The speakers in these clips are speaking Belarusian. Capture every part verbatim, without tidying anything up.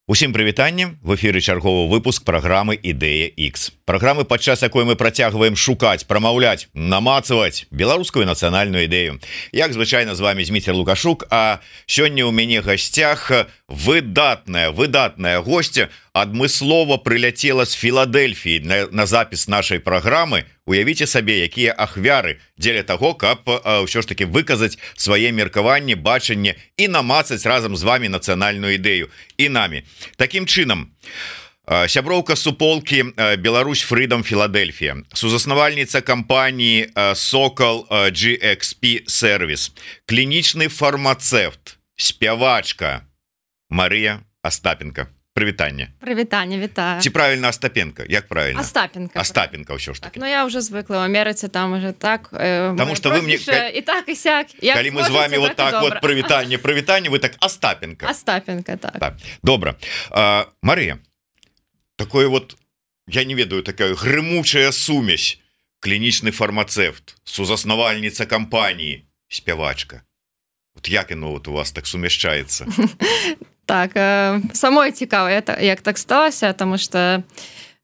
Усім прывітанне, в эфіры чарговы выпуск праграмы Ідэя Х. Праграмы, падчас якой мы працягваем шукаць, прамаўляць, намацаваць беларускую нацыянальную ідэю. Як звычайна з вами Зміцер Лукашук, а сёння ў мяне гасцях выдатная, выдатная госця адмыслова прыляцела з Філадельфіі на, на запіс нашай праграмы. Уявіце сабе, якія ахвяры дзеля таго, каб а, ўсё ж таки выказаць свае меркаванні, бачанне і намацаць разам з вами нацыянальную ідэю і намі. Такім чынам, сяброўка суполкі Беларусь Freedom Філадельфія, сузаснавальніца кампаніі Сокол джи экс пі Service, клінічны фармацэвт, спявачка Марыя Астапенко. Прывітанне. Прывітанне, вітаю. Ці правильно Остапенко? Як правильно? Остапенко. Остапенко ўсё ж таки. Так, ну я уже звыкла, в Америце там уже так. Э, Потому что вы мне... И так, и сяк. Коли мы с вами вот так вот прывітанне, прывітанне, вы так Остапенко. Остапенко, так. Так. Добра. А, Мария, такое вот, я не ведаю, такая грымучая сумесь, клінічны фармацэвт, сузаснавальніца кампаніі, спявачка. Вот як яно вот у вас так сумяшчаецца? Так, самой цікава, як так сталася, тому що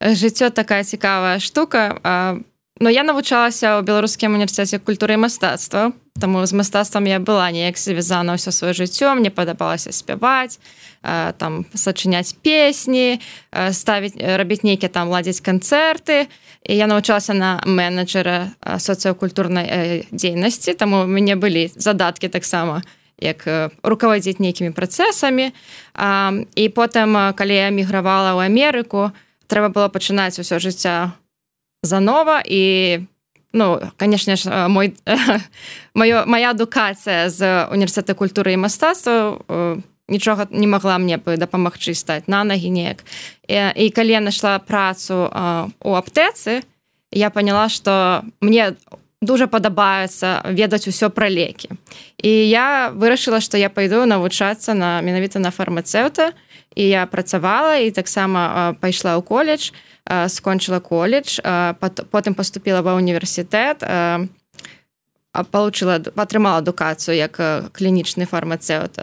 життя така цікава штука. Ну, я навчалася у Білоруському університеті культури і мистецтва, тому з мистецтвом я була ніяк зв'язана все своє життя, мені подобалося співати, там, сочиняти пісні, ставити, робити ніякі там, ладити концерти. І я навчалася на менеджера соціокультурної діяльності, тому у мене були задатки так само, як руководить нейкімі працэсамі. І потым, калі я мігравала ў Амерыку, трэба было пачынаць усё жыцця занова. І, ну, канешне ж, мой, маё, моя адукацыя з універсітэта культуры і мастацтва нічога не магла мне бы дапамагчы стаць на ногі неяк. І, і калі я нашла працу у аптэцы, я поняла, што мне дуже падабаецца ведаць усё пра лекі. І я вырашыла, што я пайду навучацца на, менавіта на фармацэўта, і я працавала, і таксама пайшла ў коледж, скончыла коледж, потым паступіла ва універсітэт, получила, атрымала адукацыю як клінічны фармацэўт.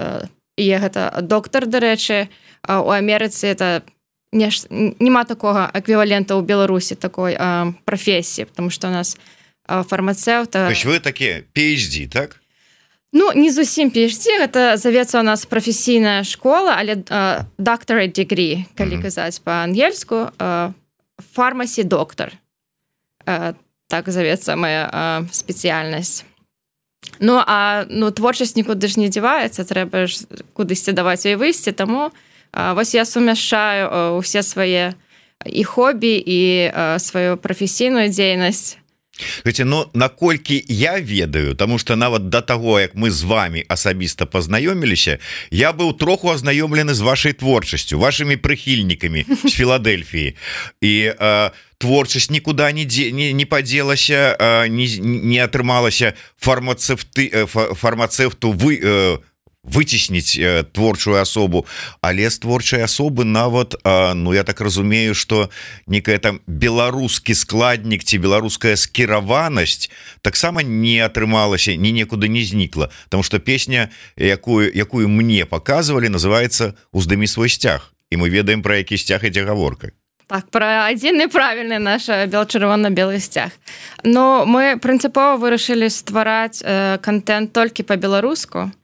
І гэта доктар, дарэчы, у Амерыцы это нема такога эквівалента ў Беларусі такой прафесіі, потому што у нас фармацэўта... То есть вы такие пи эйч ди, так? Ну, не зусім пи эйч ди, гэта завецца у нас прафесійная школа, але uh, doctorate degree, калі mm-hmm. казаць па-ангельску, uh, pharmacy доктор. Uh, так завецца моя uh, спецыяльнасць. Ну, а ну, творчасць нікуды ж не дзяваецца, трэба ж кудысьці даваць і выйсці, таму uh, вось я сумяшчаю uh, усе свае і хобі, і uh, сваю прафесійную дзейнасць. Гэце, ну, наколькі я ведаю, тому что нават до того, як мы з вами асабіста пазнаёміліся, я быў троху азнаёмлены з вашай творчасцю, вашими прыхільнікамі з Філадельфіі. І э, творчасць нікуда не, не, не падзелася, э, не, не атрымалася фармацэвты, э, фармацэвту вы... Э, выцесніць э, творчую асобу, але з творчай асобы нават, э, ну я так разумею, што некая там беларускі складнік ці беларуская скіраванасць таксама не атрымалася, ні некуды не знікла, потому что песня, якую, якую мне показывалі, называется «Уздымі свой сцяг», і мы ведаем, пра які сцяг ідзе гаворка. Так, про адзіны правільны наш бел-чырвона-белы сцяг. Но мы прынцыпова вырашылі ствараць э, контент толькі па-беларуску,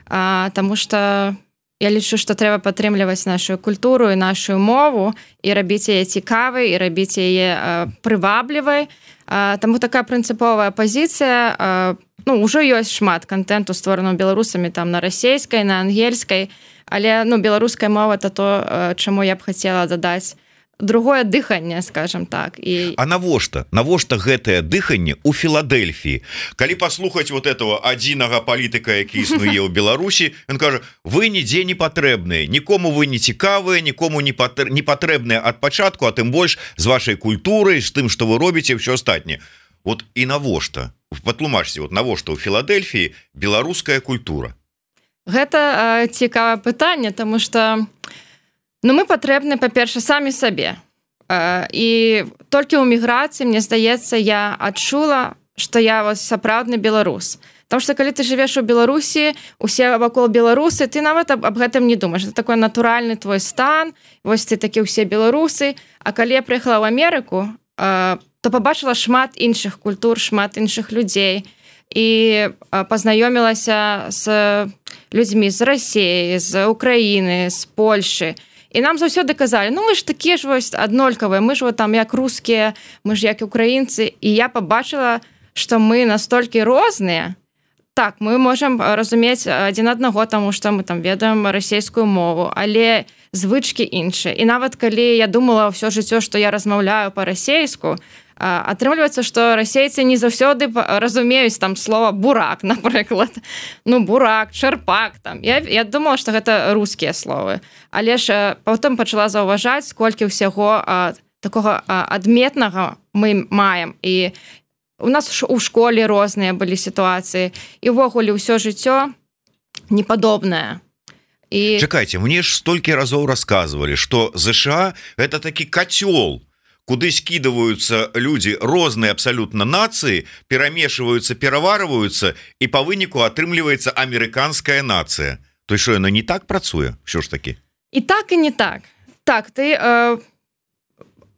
А, тому что я лічу, што трэба падтрымліваць нашу культуру і нашу мову і рабіць яе цікавай, і рабіць яе а, прываблівай. А, таму такая прынцыповая пазіцыя. А, ну, ўжо ёсць шмат контенту, створаного беларусамі там на расейскай, на ангельскай, але ну, беларуская мова это то, чаму я б хацела дадаць другое дыханне, скажем так. І... А навошта? Навошта гэтае дыханне ў Філадельфіі? Калі паслухаць вот этого адзінага палітыка, які існуе ў Беларусі, ён кажа, вы нідзе не патрэбныя, нікому вы не цікавыя, нікому не патрэбныя ад пачатку, а тым больш з вашай культурай, з тым, што вы робіце, ўсё астатняе. Вот і навошта? Патлумачце, вот навошта ў Філадельфіі беларуская культура? Гэта э, цікавае пытанне, таму што ну, мы патрэбны, па-перша, самі сабе. І толькі ў міграцыі, мне здаецца, я адчула, што я вось сапраўдны беларус. Потому что калі ты жывеш у Беларусі, усе вакол беларусы, ты нават аб, аб гэтым не думаешь. Это такой натуральны твой стан, вось ты такі ўсе беларусы. А калі я прыехала ў Амерыку, э, то побачила шмат іншых культур, шмат іншых людзей і пазнаёмілася з людзьмі з Расіі, з Украіны, з Польшы. І нам заўсёды казалі, ну вы ж такія ж вось аднолькавыя, мы ж вот там як рускія, мы ж як украінцы. І я побачила, што мы настолькі розныя. Так, мы можам разумець адзін аднаго, таму што мы там ведаем расійскую мову, але звычкі іншыя. І нават калі я думала ўсё жыццё, што я размаўляю па-расейску, атрымліваецца, што расейцы не заўсёды разумеюць там слова бурак, напрыклад. Ну, бурак, чарпак там. Я, я думала, што гэта рускія словы. Але ж потым пачала заўважаць, колькі ўсяго а, такога а, адметнага мы маем. І у нас у школе розныя былі сітуацыі. І ўвогуле ўсё жыццё непадобнае. І... Чакайце, мне ж столькі разоў расказвалі, што ЗША это такі кацёл, куды скидываются люди розныя абсолютно нации, перамешиваются, пераварваюцца, і по выніку атрымліваецца амерыканская нация. То есть, что яна не так працуе? Що ж таки? І так, і не так. Так, ты э,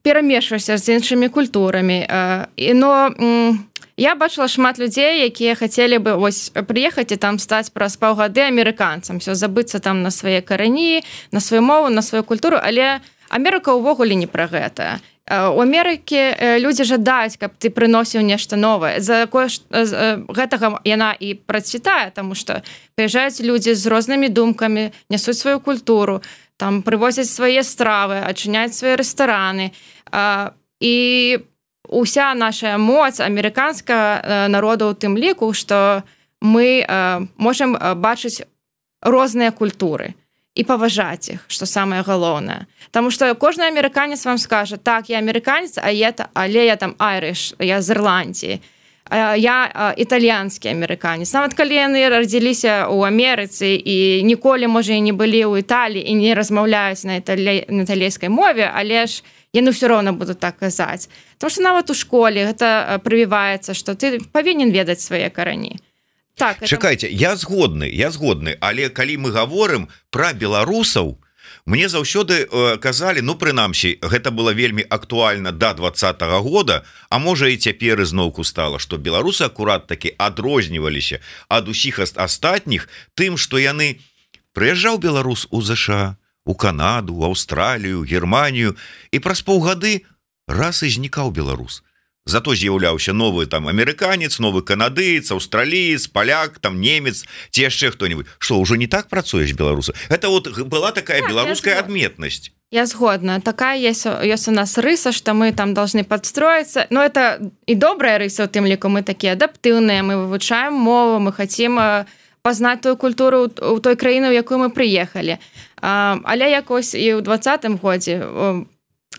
перамешваешся з іншымі культурамі. Э, но э, я бачыла шмат людзей, якія хацелі бы вось прыехаць і там стаць праз паўгады амерыканцам, все забыцца там на свае карані, на сваю мову, на сваю культуру, але Амерыка ўвогуле не пра гэта. У Амерыкі людзі жадаюць, каб ты прыносіў нешта новае. За гэтага яна і працвітае, таму што прыязджаюць людзі з рознымі думкамі, нясуць сваю культуру, там прывозяць свае стравы, адчыняюць свае рэстараны. І уся наша моц амерыканскага народа ў тым ліку, што мы можам бачыць розныя культуры і паважаць іх, што самае галоўнае. Таму што кожны амерыканец вам скажа, так, я амерыканец, а я, але я там айрыш, я з Ірландіі, я італьянскі амерыканец. Нават калі яны радзіліся ў Амерыцы і ніколі, можа, і не былі ў Італіі і не размаўляюць на, італі... на італійскай мове, але ж яны ўсё роўна будуць так казаць. Таму што нават у школе гэта прывіваецца, што ты павінен ведаць свае карані. Так, это... Чакайце, я згодны, я згодны, але калі мы гаворым пра беларусаў, мне заўсёды э, казалі, ну прынамсі, гэта было вельмі актуальна да двадцатага года, а можа і цяпер ізноўку стала, што беларусы акурат такі адрозніваліся ад усіх астатніх тым, што яны прыязджаў беларус у ЗША, у Канаду, у Аўстралію, Германію, і праз паўгады раз і знікаў беларус. Зато з'яўляўся новы там амерыканец, новы канадыец, аўстраліец, паляк, там немец, ці яшчэ хто-нибудь. Што, ўжо не так працуеш беларусы? Это вот была такая так, беларуская адметнасць. Я згодна. Такая есть, есть у нас рыса, что мы там должны подстроиться. Но это и добрая рыса, у тым ліку мы такие адаптыўныя, мы вывучаем мову, мы хотим пазнаць тую культуру у той краіны, у якую мы прыехалі. Але якось і ў двадцатым годзе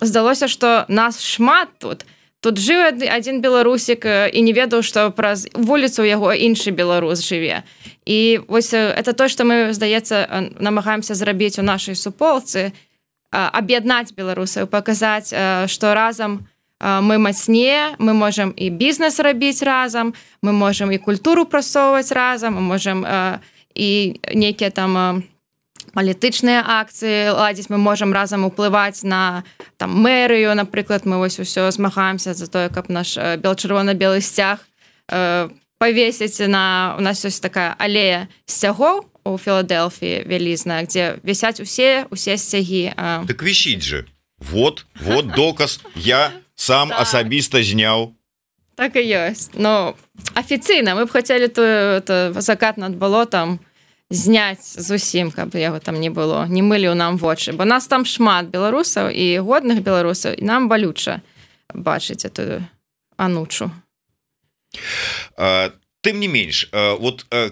здалося, што нас шмат тут. Тут жыў адзін беларусік і не ведаў, што праз вуліцу яго іншы беларус жыве. І вось это то, што мы, здаецца, намагаемся зрабіць у нашай суполцы, аб'яднаць беларусаў, паказаць, што разам мы мацнее, мы можам і бізнес рабіць разам, мы можам і культуру прасоўваць разам, мы можам і нейкія там палітычныя акцыі ладзіць, мы можам разам уплываць на там мэрыю, напрыклад, мы вось усё змагаемся за тое, каб наш чырвона-белы сцяг э, павесіць на... У нас ёсць такая алея сцягоў у Філадэлфіі вялізная, дзе вісяць усе, усе сцягі. Э. Так вісіць же. Вот, вот доказ. Я сам так. Асабіста зняў. Так і ёсць. Ну, афіцыйна. Мы б хацелі тую закат над балотам зняць зусім, каб яго там не было, не мылі ў нам вочы, бо нас там шмат беларусаў і годных беларусаў, і нам балюча бачыць эту анучу. А, тым не менш, а, вот а,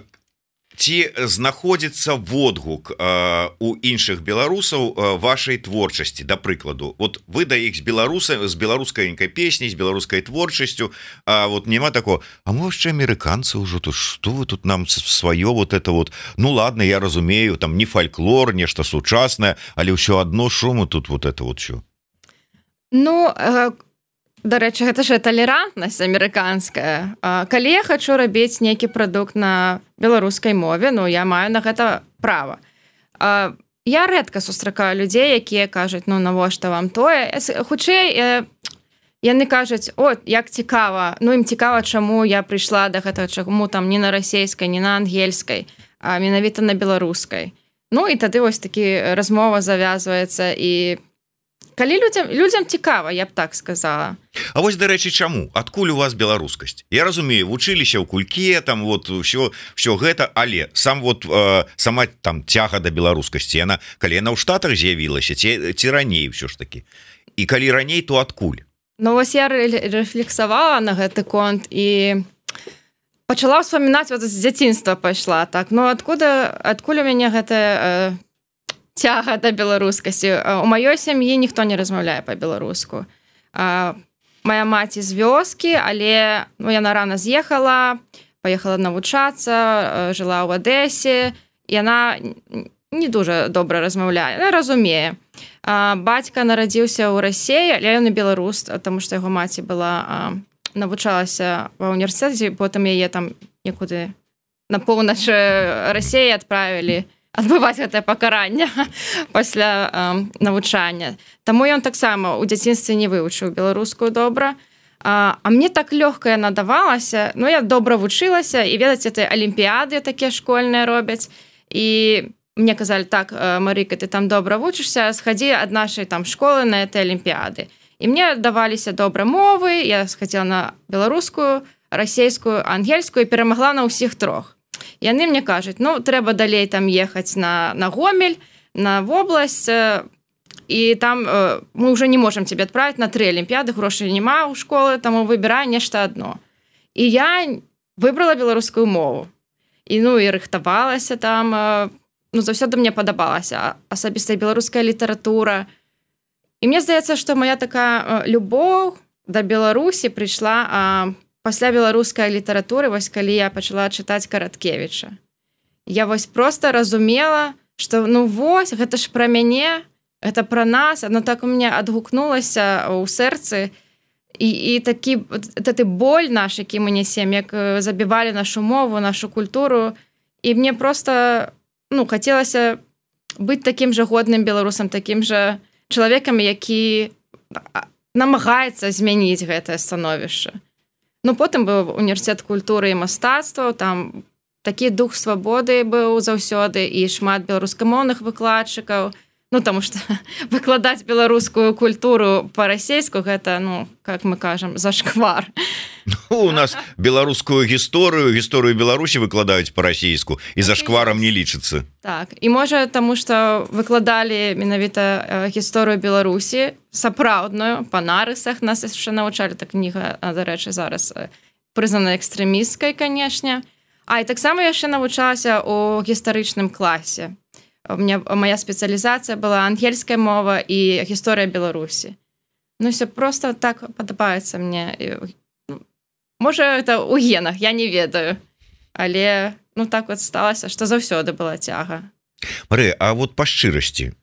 ці знаходзіцца водгук а, у іншых беларусаў а, вашай творчасці, да прыкладу, вот вы да іх з беларуса, з беларускайненькай песняй, з беларускай творчасцю, а вот няма такого, а мо яшчэ амерыканцы ўжо тут, што вы тут нам сваё вот это вот, ну ладно, я разумею, там не фальклор, нешта сучаснае, але ўсё адно, шо мы тут вот это вот що? Ну, э, дарэчы, гэта ж талерантнасць амерыканская. Калі я хачу рабіць нейкі прадукт на беларускай мове, ну я маю на гэта права. Я рэдка сустракаю людзей, якія кажуць, ну навошта вам тое. Хутчэй яны кажуць, о, як цікава, ну ім цікава, чаму я прыйшла да гэтага, чаму там не на расейскай, не на ангельскай, а менавіта на беларускай. Ну і тады вось такі размова завязваецца, і калі людзям, людзям цікава, я б так сказала. А вось, дарэчы, чаму? Адкуль у вас беларускасць? Я разумею, вучыліся ў кульке, там вот ўсё, ўсё гэта, але сам вот э, сама там цяга да беларускасці, яна, калі яна ў Штатах з'явілася, ці, ці раней ўсё ж такі? І калі раней, то адкуль? Ну вось я рэфлексавала на гэты конт і пачала ўспамінаць, вот з дзяцінства пайшла так. Ну адкуда, адкуль у мяне гэтая э, цяга да беларускасці? У маёй сям'і ніхто не размаўляе па-беларуску. А, моя маці з вёскі, але ну, яна рана з'ехала, паехала навучацца, жыла ў Адэсе, і яна не дуже добра размаўляе, але разумее. А, бацька нарадзіўся ў Расеі, але ён і беларус, таму што яго маці была а, навучалася ва ўніверсітэце, потым яе там некуды на поўнач Расеі адправілі адбываць гэтае пакаранне пасля а, навучання. Таму ён таксама ў дзяцінстве не вывучыў беларускую добра. А, а мне так лёгка яна давалася, ну я добра вучылася, і ведаць, это алімпіяды такія школьныя робяць, і мне казалі, так, Марыка, ты там добра вучышся, схадзі ад нашай там школы на этой алімпіяды. І мне даваліся добра мовы, я схадзіла на беларускую, расейскую, ангельскую і перамагла на ўсіх трох. Яны мне кажуць, ну, трэба далей там ехаць на, на Гомель, на вобласць, і там э, мы ўжо не можам цябе адправіць на тры алімпіяды, грошай няма ў школы, таму выбірай нешта адно. І я выбрала беларускую мову. І, ну, і рыхтавалася там, э, ну, заўсёды мне падабалася асабістая беларуская літаратура. І мне здаецца, што моя такая любоў да Беларусі прыйшла а, пасля беларускай літаратуры, вось калі я пачала чытаць Караткевіча. Я вось проста разумела, што ну вось, гэта ж пра мяне, гэта пра нас, оно так у мяне адгукнулася ў сэрцы, і, і такі гэты боль наш, які мы несем, як забівалі нашу мову, нашу культуру, і мне проста ну, хацелася быць такім жа годным беларусам, такім жа чалавекам, які намагаецца змяніць гэтае становішча. Ну, потым быў універсітэт культуры і мастацтваў, там такі дух свабоды быў заўсёды, і шмат беларускамоўных выкладчыкаў, ну, таму што выкладаць беларускую культуру па-расейску, гэта, ну, как мы кажам, зашквар. Ну, у нас беларускую гісторыю, гісторыю Беларусі выкладаюць па-расейску, і зашкварам не лічыцца. Так, і можа таму, што выкладалі менавіта гісторыю Беларусі, сапраўдную, па нарысах, нас яшчэ навучалі, так кніга, дарэчы, зараз прызнана экстрэмісткай, канешне. А, і таксама яшчэ навучалася ў гістарычным класе. У меня, моя спецыялізацыя была ангельская мова і гісторыя Беларусі. Ну, все просто так падабаецца мне. Можа, это ў генах, я не ведаю. Але, ну, так вот сталася, што заўсёды была цяга. Марыя, а вот па шчырасці,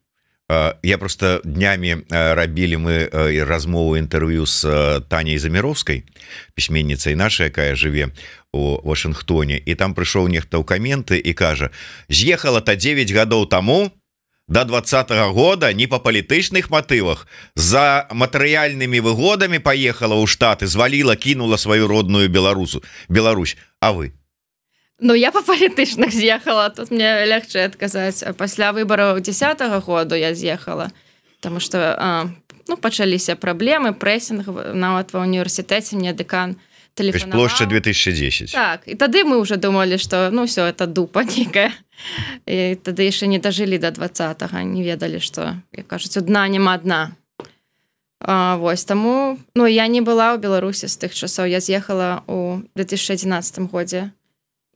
я просто днямі рабілі мы размову інтэрв'ю з Таняй Заміровскай, пісьменніцай нашай, якая жыве у Вашынгтоне, і там прыйшоў нехта ў каменты і кажа: з'ехала-то дзевяць гадоў таму да двадцатага года не па палітычных матывах, за матэрыяльнымі выгодамі паехала ў Штаты, зваліла, кінула сваю родную Беларусу, Беларусь. А вы? Ну, я па палітычных з'ехала, тут мне лягчэй адказаць. Пасля выбараў дзесятага году я з'ехала, таму што а, ну, пачаліся праблемы, прэсінг, нават ва ўніверсітэце мне дэкан тэлефанаваў. Плошча две тысячи десять. Так, і тады мы ўжо думалі, што ну ўсё, это дупа нейкая. І тады яшчэ не дажылі да двадцатага, не ведалі, што, як кажуць, адна няма адна. А, вось, таму, ну, я не была ў Беларусі з тых часоў, я з'ехала ў две тысячи адзінаццатым годзе.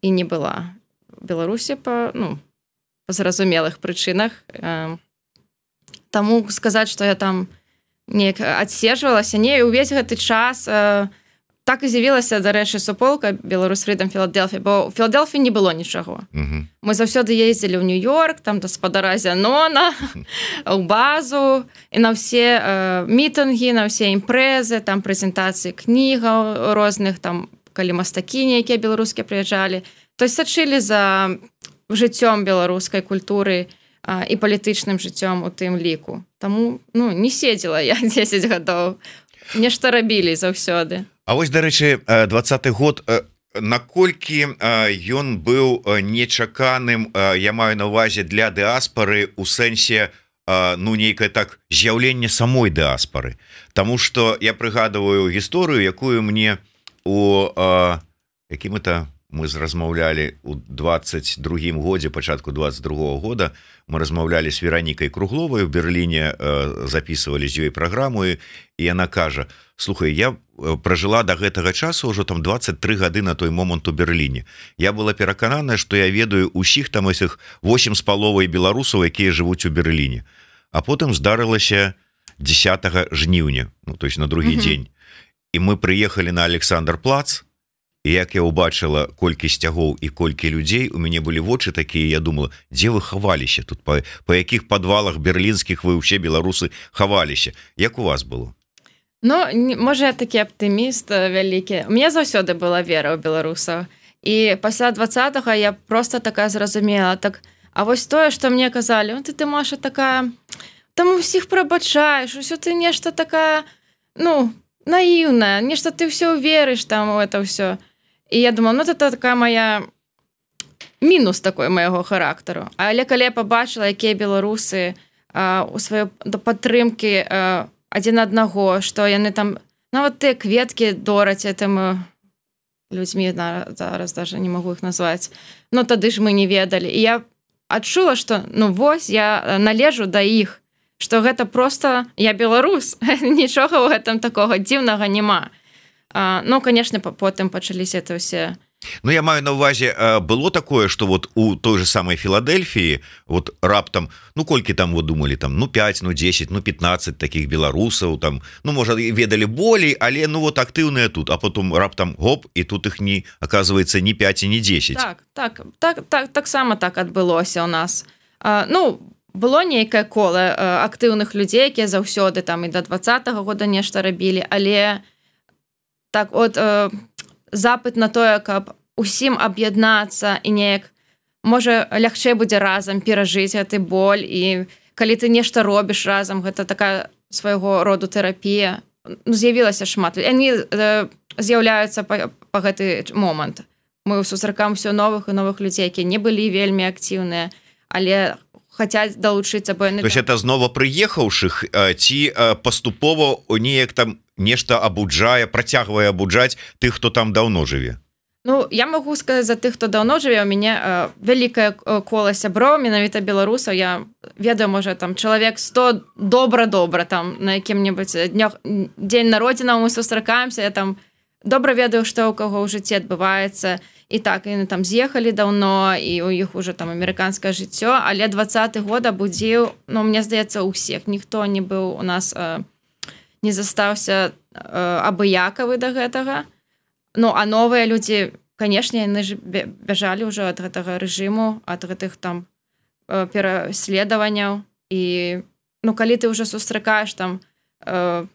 І не была в Беларусі па, ну, па зразумелых прычынах. Таму сказаць, што я там неяк адсежвалася, не, увесь гэты час так і з'явілася, дарэчы, суполка Беларусь Freedom Філадельфія, бо ў Філадельфіі не было нічого. Uh-huh. Мы заўсёды ездзілі ў Нью-Йорк, там да спадара Зянона, у базу, і на ўсе э, мітынгі, на ўсе імпрэзы, там прэзентацыі кнігаў розных, там, калі мастакіні, якія беларускія прыязджалі. То есть сачылі за жыццём беларускай культуры а, і палітычным жыццём у тым ліку. Таму, ну, не седзела я дзесяць гадоў. Нешта рабілі заўсёды. А вось, дарэчы, двадцаты год, наколькі ён быў нечаканым, я маю на ўвазе, для дыаспары ў сэнсе, ну, нейкае так з'яўленне самой дыаспары. Таму што я прыгадываю гісторыю, якую мне у якім это мы размаўлялі ў двадцать другім годзе, пачатку двадцать другого года, мы размаўлялі з Веранікай Кругловай, у Берліне записывалі з ёй праграму, і яна кажа: слухай, я пражыла до гэтага часу ўжо там двадцать три гады на той момант у Берліне. Я была перакананая, што я ведаю ўсіх там усіх восемь з паловай беларусаў, якія жывуць у Берліне. А потым здарылася дзесятага жніўня, ну, то есть на другі mm-hmm. дзень. І мы прыехалі на Александр-плац, і як я ўбачыла колькі сцягоў і колькі людзей, у мяне былі вочы такія, я думала, дзе вы хаваліся тут, па, па якіх падвалах берлінскіх вы ўсе беларусы хаваліся? Як у вас было? Ну, можа, я такі аптыміст вялікі. У мяне заўсёды была вера ў беларусаў. І пасля двадцатага я проста такая зразумела, так, а вось тое, што мне казалі, ну, ты, ты, Маша, такая, там усіх прабачаеш, усё ты нешта такая, ну, наіўная, нешта ты ўсё верыш там у это ўсё. І я думала, ну, это такая моя мінус такой майго характару. Але калі я пабачыла, якія беларусы а, у сваёй падтрымкі а, адзін аднаго, што яны там, нават тыя кветкі дораць этым людзьмі, зараз даже не магу іх назваць, ну, тады ж мы не ведалі. І я адчула, што, ну, вось, я належу да іх, што гэта просто я беларус, нічога ў гэтым такога дзіўнага няма. А, ну, конечно, потым пачаліся это ўсе. Ну, я маю на ўвазе, было такое, што вот у той же самой Філадельфіі вот раптам, ну, колькі там вы думалі, там, ну, пять, ну, десять, ну, пятнадцать таких беларусаў, там, ну, можа, ведалі болей, але, ну, вот актыўныя тут, а потом раптам гоп, і тут іх не, оказывается, ні пять і ні десять. Так, так, так, так, таксама так адбылося ў нас. А, ну, было нейкае кола актыўных людзей, якія заўсёды там і да двадцатага года нешта рабілі, але так от э, запыт на тое, каб усім аб'яднацца і неяк, можа, лягчэй будзе разам перажыць гэты боль, і калі ты нешта робіш разам, гэта такая свайго роду тэрапія. Ну, з'явілася шмат. Яны э, з'яўляюцца па, па гэты момант. Мы сустракаем усё новых і новых людзей, якія не былі вельмі актыўныя, але хацяць далучыцца, бо яны... То есть это знова прыехаўшых ці паступова неяк там нешта абуджае, працягвае абуджаць тых, хто там даўно жыве? Ну, я магу сказаць за тых, хто даўно жыве. У мяне э, вялікае кола сяброў, менавіта беларусаў. Я ведаю, можа, там чалавек сто добра-добра, там на якім-небудзь днях, дзень народзінаў мы сустракаемся, я там добра ведаю, што ў каго ў жыцці адбываецца. І так, яны там з'ехалі даўно, і у іх уже там амерыканскае жыццё, але двадцаты год абудзіў, ну, мне здаецца, ўсіх. Ніхто не быў у нас, э, не застаўся э, абыякавы да гэтага. Ну, а новыя людзі, канешне, яны ж бяжалі ўжо ад гэтага рэжыму, ад гэтых там э, пераследаванняў. І, ну, калі ты ўжо сустракаеш там э,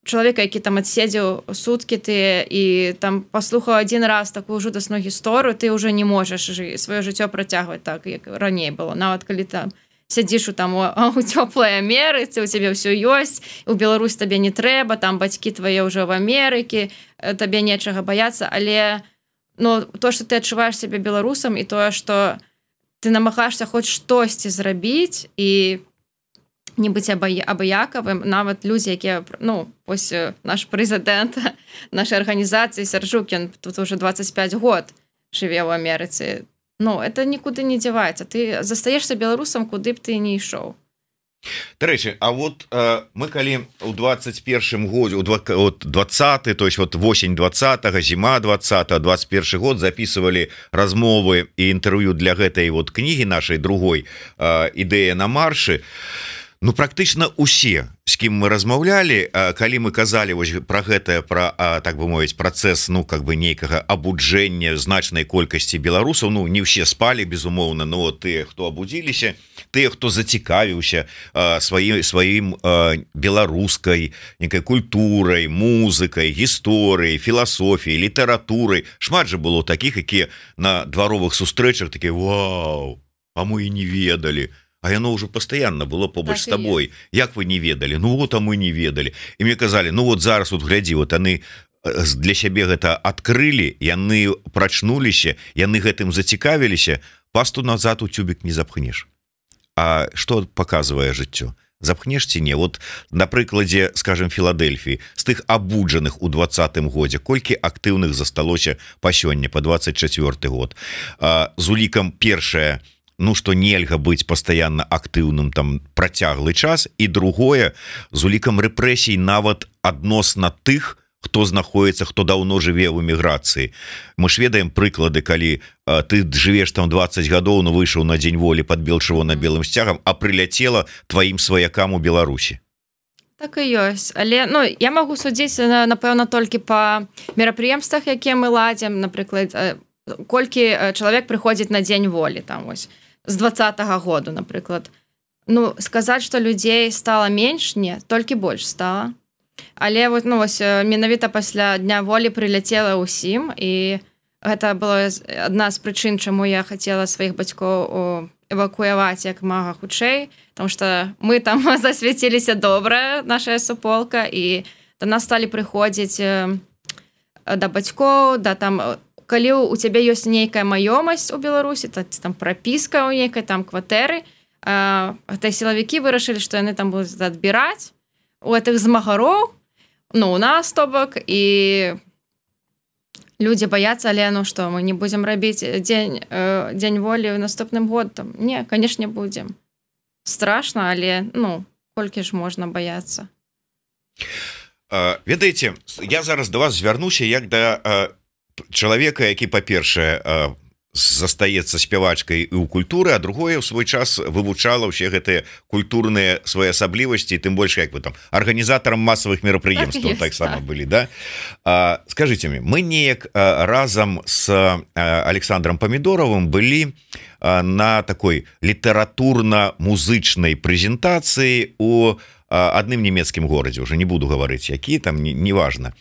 чалавека, які там адседзеў суткі ты і там паслухаў адзін раз такую жудасную гісторыю, ты ўжо не можаш сваё жыццё працягваць так, як раней было. Нават калі там сядзіш у там у цёплай Амерыцы, у цябе ўсё ёсць, у Беларусь табе не трэба, там бацькі твае ўжо в Амерыкі, табе нечага баяцца, але ну, то, што ты адчуваеш сябе беларусам, і тое, што ты намагаешся хоць штосьці зрабіць і не быць абыякавым, нават людзі, якія, ну, вось наш прэзідэнт нашай арганізацыі Сяржук, ён тут уже двадцать пять год жыве ў Амерыцы. Ну, это нікуды не дзяваецца. Ты застаешся беларусам, куды б ты не ішоў. Дарэчы, а вот э, мы калі ў двадцать первым годзе, у двадцаты, то есть вот восень двадцатага, зіма двадцатага, двадцать первый год записывалі размовы і інтэрв'ю для гэтай вот кнігі нашай другой э, «Ідэя на маршы». Ну практычна усе, з кім мы размаўлялі, калі мы казалі вось пра гэтае, пра, так бы мовіць, працэс, ну как бы нейкага абуджэння значнай колькасці беларусаў, ну не ўсе спалі, безумоўна, но тыя, хто абудзіліся, тыя, хто зацікавіўся сваім сваім беларускай некай культурай, музыкай, гісторыяй, філасофіяй, літаратурай. Шмат жа было такіх, якія на дваровых сустрэчах такія: вау, а мы і не ведалі. А яно ўжо пастаянна было побач так з табой. Як вы не ведалі? Ну вот, а мы не ведалі. І мне казалі: ну вот зараз вот глядзі, вот яны для сябе гэта адкрылі, яны прачнуліся, яны гэтым зацікавіліся, пасту назад у тюбік не запхнеш. А што паказвае жыццё? Запхнеш ці не? Вот на прыкладзе, скажем, Філадельфіі, з тых абуджаных у двадцатым годзе, колькі актыўных засталося па сёння, па двадцать чацвёрты год. А, з улікам першае, ну што нельга быць пастаянна актыўным там працяглы час, і другое, з улікам рэпрэсій нават адносна тых, хто знаходіцца, хто даўно жыве ў эміграцыі. Мы ж ведаем прыклады, калі а, ты жывеш там двадцать гадоў, ну выйшаў на дзень волі пад чырвона-белым сцягам, а прыляцела тваім сваякам у Беларусі. Так і ёсць, але ну я магу судзіць, напэўна, толькі па мерапрыемствах, якія мы ладзім, напрыклад, колькі чалавек прыходзіць на дзень волі там вось з двадцатага году, напрыклад. Ну, сказаць, што людзей стала менш, не, толькі больш стала. Але вот, ну, вось, менавіта пасля дня волі прыляцела ўсім, і гэта была адна з прычын, чаму я хацела сваіх бацькоў эвакуяваць як мага хутчэй, потому што мы там засвяціліся добра, наша суполка, і да нас сталі прыходзіць да бацькоў, да там... Калі у цябе ёсць нейкая маёмасць у Беларусі, то там прапіска ў нейкай там кватэры, гэта сілавікі вырашылі, што яны там будуць адбіраць у гэтых змагароў, ну, у нас, то бок, і людзі баяцца, але ну што, мы не будзем рабіць дзень, дзень волі ў наступным годам? Не, канешне, будзем. Страшна, але, ну, колькі ж можна баяцца? Ведаеце, я зараз да вас звярнуся як да чалавека, які, па-першае, застаецца спявачкай і ў культуры, а другое, у свой час вывучала ўсе гэтыя культурныя своеасаблівасці, тым больш, як вы там, арганізатарам масавых мерапрыемстваў так таксама былі, да? А, скажыце мне, мы неяк разам з Александром Памідоровым былі на такой літаратурна-музычнай прэзентацыі у адным нямецкім горадзе, уже не буду гаварыць, які там, неважно.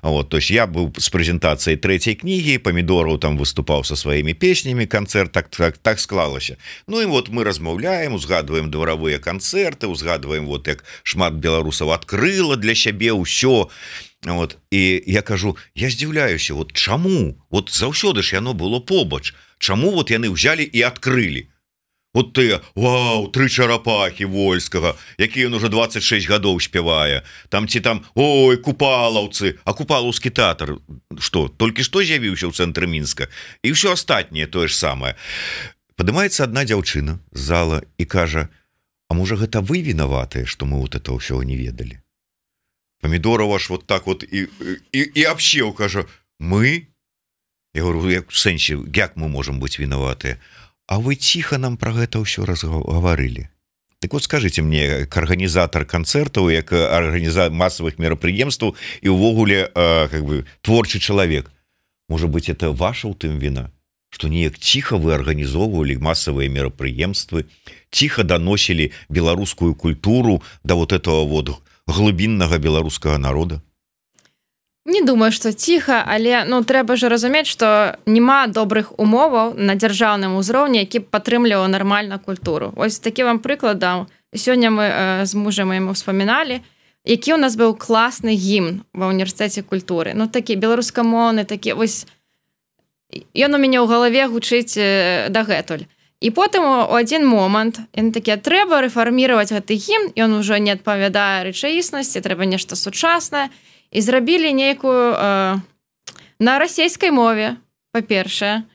Вот, то есть я быў з прэзентацыяй трэцяй кнігі, Памідораў там выступаў са сваімі песнямі, канцэрт так, так, так склалася. Ну і вот мы размаўляем, узгадваем дваравыя канцэрты, узгадваем, вот як шмат беларусаў адкрыла для сябе ўсё. Вот, і я кажу, я здзіўляюся, вот чаму? Вот заўсёды ж яно было побач. Чаму вот яны ўзялі і адкрылі? Вот ты, вау, тры чарапахі Вольскага, які ён уже двадцать шесть гадоў спявае. Там ці там, ой, купалаўцы, а купалаўскі тэатр, што, толькі што з'явіўся ў цэнтры Мінска? І ўсё астатняе тое ж самае. Падымаецца адна дзяўчына з зала і кажа, а можа гэта вы вінаватыя, што мы вот это ўсё не ведалі? Памідораў аж вот так вот і, і, і абсеў, кажа, мы? Я говорю, як в сэнсе, як мы можам быць вінаватыя? А вы ціха нам пра гэта ўсё разгаварылі. Так вот скажыце мне, як арганізатар канцэртаў, як арганізатар масавых мерапрыемстваў і ўвогуле как бы творчы чалавек, можа быць, это ваша ў тым віна, што неяк ціха вы арганізоўвалі масавыя мерапрыемствы, ціха даносілі беларускую культуру да вот этого вот глыбіннага беларускага народа? Не думаю, што ціха, але ну трэба ж разумець, што няма добрых умоваў на дзяржаўным узроўні, які падтрымліваў нармальна культуру. Вось такі вам прыклад дам. Сёння мы э, з мужам яму ўспаміналі, які ў нас быў класны гімн ва універсітэце культуры. Ну такі беларускамоўны, такі вось ён у мяне ў галаве гучыць э, дагэтуль. І потым у адзін момант яны такія, трэба рэфарміраваць гэты гімн, ён ужо не адпавядае рэчаіснасці, трэба нешта сучаснае. І зрабілі нейкую э, на расейскай мове, па-першае.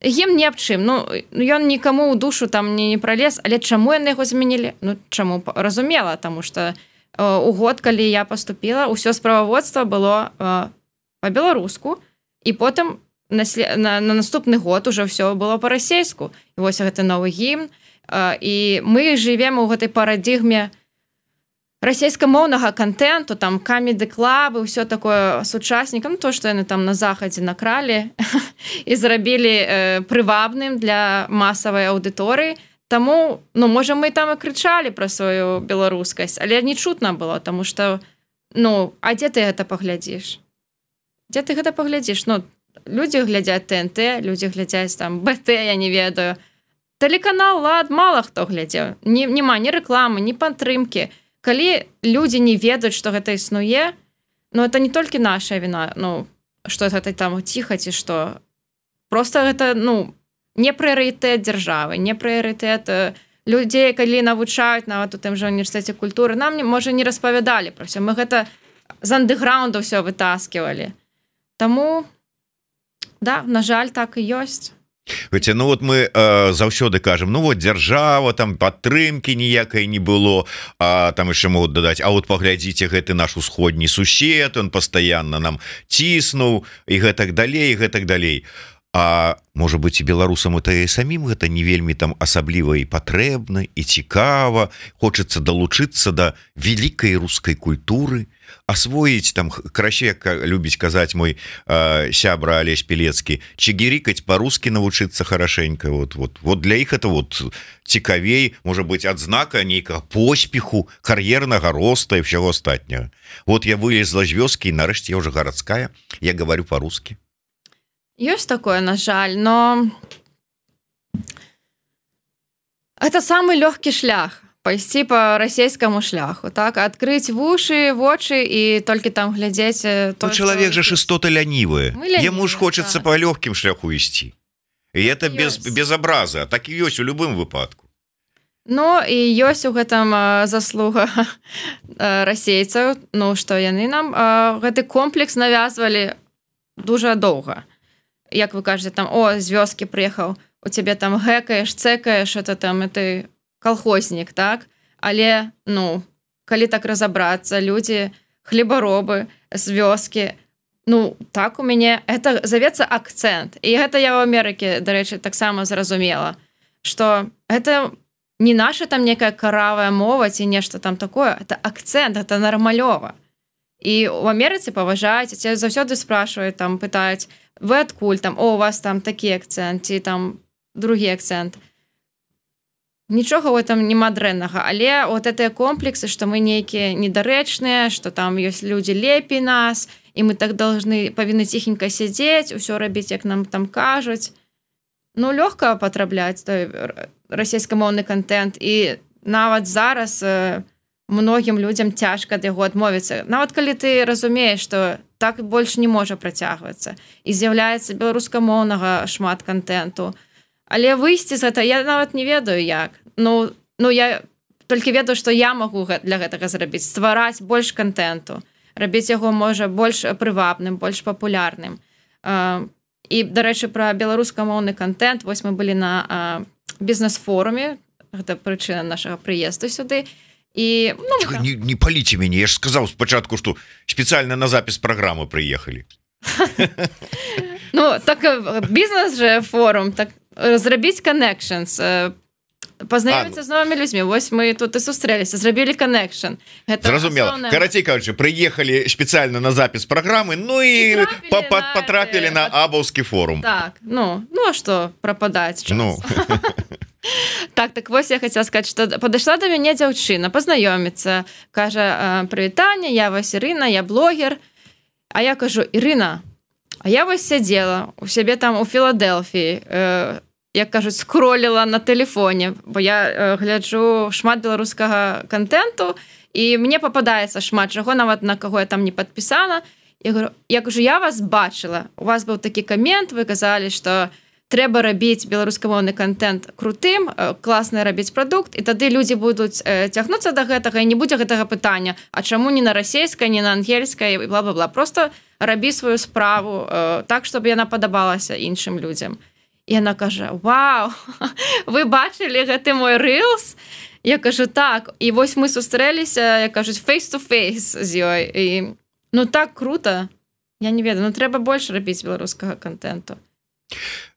Гімн не аб чым. Ну, ён нікаму ў душу там не, не пралез, але чаму яны яго змянілі? Ну, чаму? Разумела, таму што э, у год, калі я паступіла, ўсё справаводства было э, па-беларуску, і потым на, на, на наступны год уже ўсё было па-расейску. І вось гэты новы гімн. і мы жывем у гэтай парадыгме расійскамоўнага контенту, там камеды-клабы, ўсё такое сучаснікам, то, што яны там на захадзе накралі і зрабілі э, прывабным для масавай аўдыторыі. Таму, ну, можа, мы там і крычалі пра сваю беларускасць, але не чутна было, таму што, ну, а дзе ты гэта паглядзіш? Дзе ты гэта паглядзіш? Ну, людзі глядзяць тэ эн тэ, людзі глядзяць там бэ тэ, я не ведаю. Тэлеканал «Лад» мала хто глядзеў. Ні, няма ні рэкламы, ні падтрымкі. Калі людзі не ведаюць, што гэта існуе, ну, это не толькі наша віна, ну, што гэта там ціха ці што. Просто гэта, ну, не прыярытэт дзяржавы, не прыярытэт людзей, калі навучаюць нават у тым жа універсітэце культуры. Нам, можа, не распавядалі пра ўсё. Мы гэта з андэграунда ўсё вытаскивалі. Таму, да, на жаль, так і ёсць. Хотя, ну вот мы э, заўсёды кажем, ну вот дзяржава, там падтрымки ніякай не было, а там яшчэ могуць дадаць, а вот паглядзіце, гэты наш усходні сусед, он пастаянна нам ціснуў і гэтак далей, і гэтак далей. А можа быть, і беларусам это і самім гэта не вельмі там асабліва і патрэбна, і цікава, хочацца далучыцца да вялікай рускай культуры, асвоіць там, краще, як любіць казаць мой э, сябра Алесь Пелецкі, чигирикать по-русски навучыцца хорошенько. Вот, вот, вот для іх это вот цікавей, можа быть, адзнака нейкага поспеху, кар'ернага роста і ўсяго астатняга. Вот я вылезла з вёскі, і нарэшце я уже гарадская, я говорю по-русски. Есть такое, на жаль, но это самый легкий шлях. Пайсці по расійскаму шляху, так, адкрыць вушы, вочы і толькі там глядзець. Ну, чалавек же ж істота лянівая. Яму ж хочацца по лёгкім шляху ісці. І это без, без абраза, так і ёсць у любым выпадку. Ну, і ёсць у гэтым заслуга расейцаў, ну, што яны нам гэты комплекс навязвалі дужа доўга. Як вы кажаце, там, о, з вёскі прыехаў, у цябе там гэкаеш, цэкаеш, это там, это колхознік, так? Але, ну, калі так разабрацца, людзі, хлебаробы з вёскі, ну, так у мяне, это завецца акцэнт. І гэта я ў Амерыкі, дарэчы, таксама зразумела, што гэта не наша там некая каравая мова ці нешта там такое, это акцэнт, это нармалёва. І ў Амерыцы паважаюць, цябе заўсёды спрашиваюць, там, пытаюць, вы адкуль, там, о, у вас там такі акцэнт, ці там другі акцэнт. Нічога ў этом нема дрэннага, але вот гэтыя комплексы, што мы нейкія недарэчныя, што там ёсць людзі лепей нас, і мы так должны, павінны ціхенька сядзець, усё рабіць, як нам там кажуць. Ну, лёгка патрабляць той расійскамоўны контент, і нават зараз многім людзям цяжка ад яго адмовіцца. Нават калі ты разумееш, што так больш не можа працягвацца, і з'яўляецца беларускамоўнага шмат контенту. Але выйсці з гэта, я нават не ведаю як. Ну, ну я толькі ведаю, што я магу для гэтага зрабіць, ствараць больш контенту, рабіць яго, можа, больш прывабным, больш папулярным. І, дарэчы, пра беларускамоўны контент, вось мы былі на бізнес-форуме, гэта прычына нашага прыезду сюды, і... Ну, Чего, не, не паліце мяне, я ж сказаў спачатку, што спецыяльна на запіс праграмы прыехалі. Ну, так бізнес же форум, так зрабіць connections, пазнаёміцца з новымі людзьмі. Вось мы тут і сустрэліся, зрабілі connection. Зразумела. Асноўная... Карацей кажучы, прыехалі спецыяльна на запіс праграмы, ну і, і патрапілі на, на Абаўскі форум. Так, ну, ну а што прападаць час? Ну. Так, так вось я хацела сказаць, што падышла да мяне дзяўчына, пазнаёміцца, кажа, прывітанне, я вось Ірына, я блогер. А я кажу, Ірына, а я вось сядзела у сябе там у Філадэлфіі, э, як кажуць, скроліла на тэлефоне, бо я э, гляджу шмат беларускага контенту, і мне пападаецца шмат чаго, нават на каго я там не падпісана. Я говорю, я кажу, я вас бачыла, у вас быў такі камент, вы казалі, што трэба рабіць беларускамоўны контент крутым, класна рабіць прадукт, і тады людзі будуць цягнуцца да гэтага, і не будзе гэтага пытання, а чаму не на расейскай, не на ангельскай, і бла-бла-бла. Просто рабі сваю справу так, чтобы яна падабалася іншым людзям. І яна кажа, вау, вы бачылі гэты мой рилс? Я кажу, так. І вось мы сустрэліся, як кажуць, face-to-face з ёй. І, ну, так круто. Я не ведаю, ну, трэба больш рабіць беларускага контенту.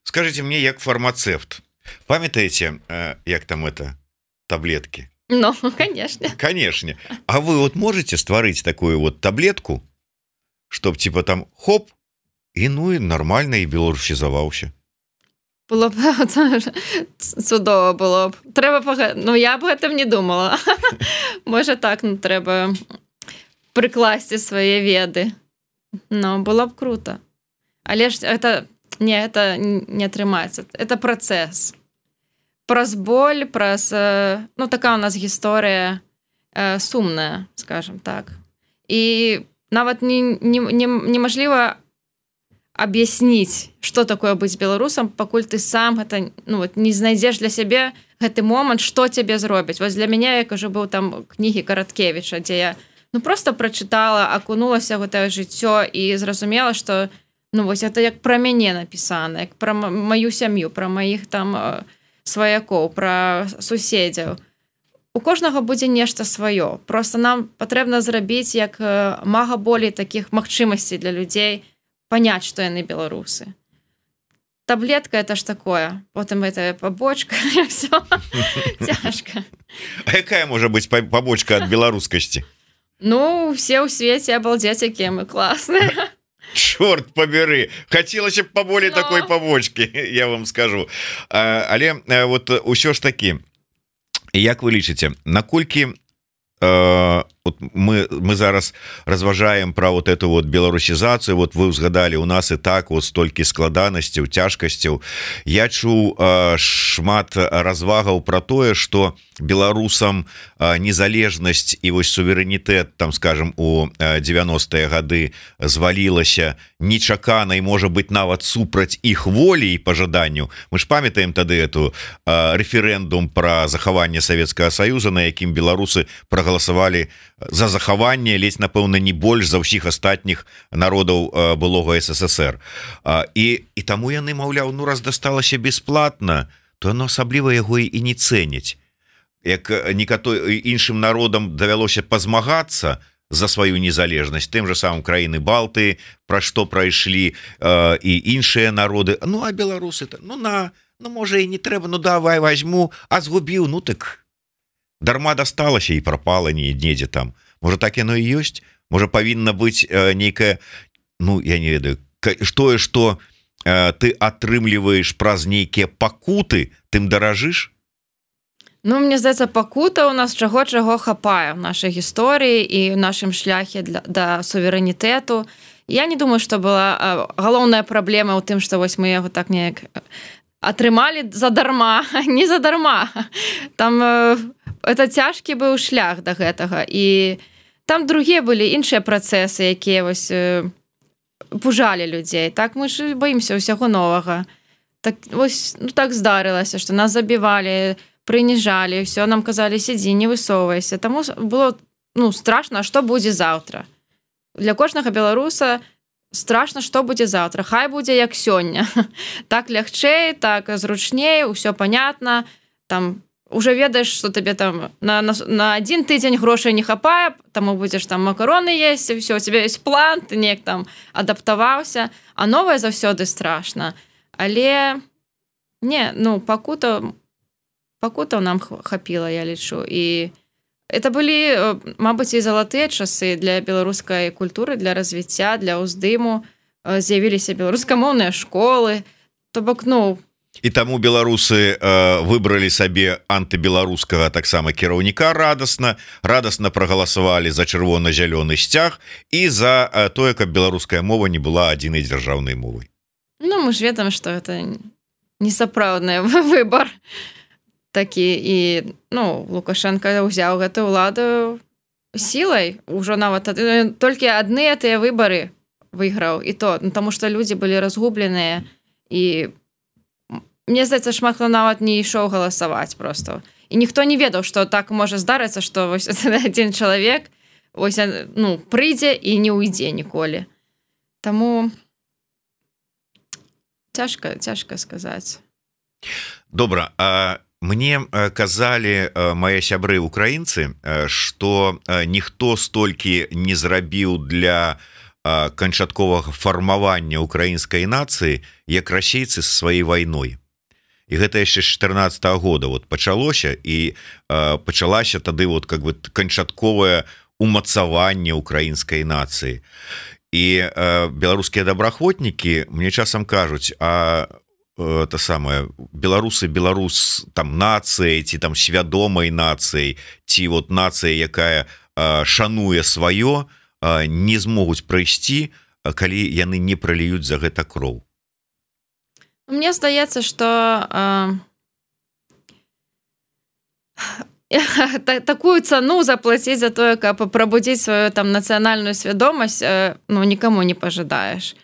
Скажите мне, як фармацэвт, Памятаете, як там это таблетки? Ну, конечно. Конечно. А вы вот можете створить такую вот таблетку, чтоб типа там хоп, и ну и нормально, и белорусизовался? Было б цудово было б. Треба пога... Ну, я б гэтым не думала. Можа так, ну, трэба прыкласці свае веды. Ну, было б круто. Але ж это... Не, это не атрымаецца. Это працэс. Праз боль, праз... Ну, такая у нас гісторыя э, сумная, скажем так. І нават не, не, не, неможліва аб'ясніць, што такое быць беларусам, пакуль ты сам гэта, ну, вот, не знайдзеш для сябе гэты момант, што цябе зробіць. Вось для мяне, як ужо быў там кнігі Караткевіча, дзе я ну, просто прачытала, акунулася ў гэтае жыццё і зразумела, што ну, вось гэта як пра мяне напісана, як пра маю сям'ю, пра маіх там сваякоў, пра суседзяў. У кожнага будзе нешта сваё. Просто нам патрэбна зрабіць як мага болей такіх магчымасцей для людзей паняць, што яны беларусы. Таблетка это ж такое. Потым это пабочка, і ўсё. Цяжка. А якая можа быць пабочка ад беларускасці? Ну, все ў свеце абалдзець, якія мы класныя. Чорт побери, хацелася б паболей no. такой побочки, я вам скажу. А, але вот усё ж таки, як вы лічыце, наколькі э, вот мы, мы зараз разважаем про вот эту вот беларусізацыю, вот вы узгадали, у нас і так вот столькі складанасцяў, цяжкасцяў. Я чуў э, шмат развагаў про тое, что беларусам э, незалежнасць і вось суверэнітэт, там скажем, у девяностыя гады звалілася нечакана і можа быть нават супраць іх волі і пажаданню. Мы ж памятаем тады эту э, референдум про захаванне Савецкага Саюза, на якім беларусы прагаласавалі за захаванне ледзь, напэўна, не больш за ўсіх астатніх народаў э, былога СССР. А, і, і таму яны, маўляў, ну раз дасталася бесплатна, то яно асабліва яго і не цэняць. Як некаторым іншым народам давялося пазмагацца за сваю незалежнасць, тым же самым краіны Балтыі, пра што прайшлі э, і іншыя народы. Ну, а беларусы, ну на, ну можа і не трэба, ну давай возьму, а згубіў, ну так дарма дасталася і прапала недзе там. Можа так яно і ёсць? Можа павінна быць э, нейкая, ну я не ведаю, тое, што э, ты атрымліваеш праз нейкія пакуты, тым даражыш? Ну, мне здаецца, пакута у нас чаго-чаго хапае в нашай гісторыі і в нашым шляхе для, да суверэнітэту. Я не думаю, што была галоўная праблема ў тым, што вось мы яго так неяк атрымалі задарма, не задарма. Там это цяжкі быў шлях да гэтага. І там другія былі іншыя працэсы, якія вось пужалі людзей. Так мы ж баімся ўсяго новага. Так вось ну, так здарылася, што нас забівалі, прыніжалі, все нам казалі, сядзі, не высоўвайся. Таму было ну, страшна, што будзе заўтра. Для кожнага беларуса страшна, што будзе заўтра. Хай будзе як сёння. Так лягчэй, так зручней, усё понятно. Там уже ведаеш, што табе там на, на, на адзін тыдзень грошай не хапае, таму будзеш там макароны есці, все, у тебя ёсць план, ты неяк там адаптаваўся, а новае заўсёды страшна. Але не, ну, пакута пакутаў нам хапіла, я лічу. І это былі, мабыць, і залатыя часы для беларускай культуры, для развіцця, для ўздыму. З'явіліся беларускамоўныя школы. То бок, ну... І таму беларусы э, выбралі сабе антыбеларускага таксама кіраўніка радасна, радасна прагаласавалі за чырвона-зялёны сцяг і за э, тое, каб беларуская мова не была адзінай дзяржаўнай мовай. Ну, мы ж ведаем, што это несапраўдны выбар. Такі і ну Лукашенко ўзяў гэтую ўладу сілай, ужо нават толькі адныя тыя выбары выйграў, і то ну, таму што людзі былі разгубленыя і мне здаецца, шмат хто нават не ішоў галасаваць просто. І ніхто не ведаў, што так можа здарыцца, што вось адзін чалавек вось ну прыйдзе і не ўйдзе ніколі. Таму цяжка, цяжка сказаць. Добра, а мне казалі мае сябры украінцы, што ніхто столькі не зрабіў для канчатковага фармавання украінскай нацыі, як расейцы са сваёй вайной. і гэта яшчэ з чатырнаццатага года вот пачалося і э, пачалася тады вот как бы канчатковае умацаванне украінскай нацыі. І э, беларускія добраахвотнікі мне часам кажуць, а э, то самае беларусы беларус там нацыяй ці там свядомай нацыяй ці вот нацыя, якая э, шануе сваё, э, не змогуць прайсці, калі яны не праліюць за гэта кроў. Мне здаецца, што э, такую цану заплаціць за тое, каб прабудзіць сваю там нацыянальную свядомасць, э, ну нікому не пажадаеш.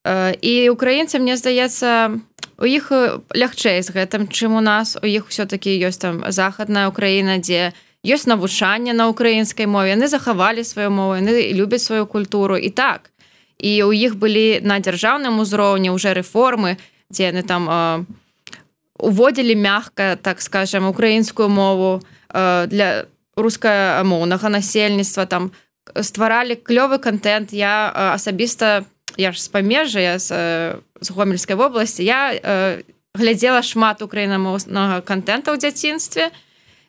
Э, і украінцы, мне здаецца, у іх лягчэй з гэтым, чым у нас. У іх ўсё-такі ёсць там захадная Украіна, дзе ёсць навучанне на украінскай мове, яны захавалі сваю мову, яны любяць сваю культуру і так. І ў іх былі на дзяржаўным узроўні ўжо рэформы, дзе яны там э, уводзілі мягка, так скажем, украінскую мову э, для рускамоўнага насельніцтва, там стваралі клёвы контент. Я э, асабіста, я ж з памежжа, я з, э, з Гомельскай вобласці, я э, глядзела шмат украінамоўнага контента ў дзяцінстве,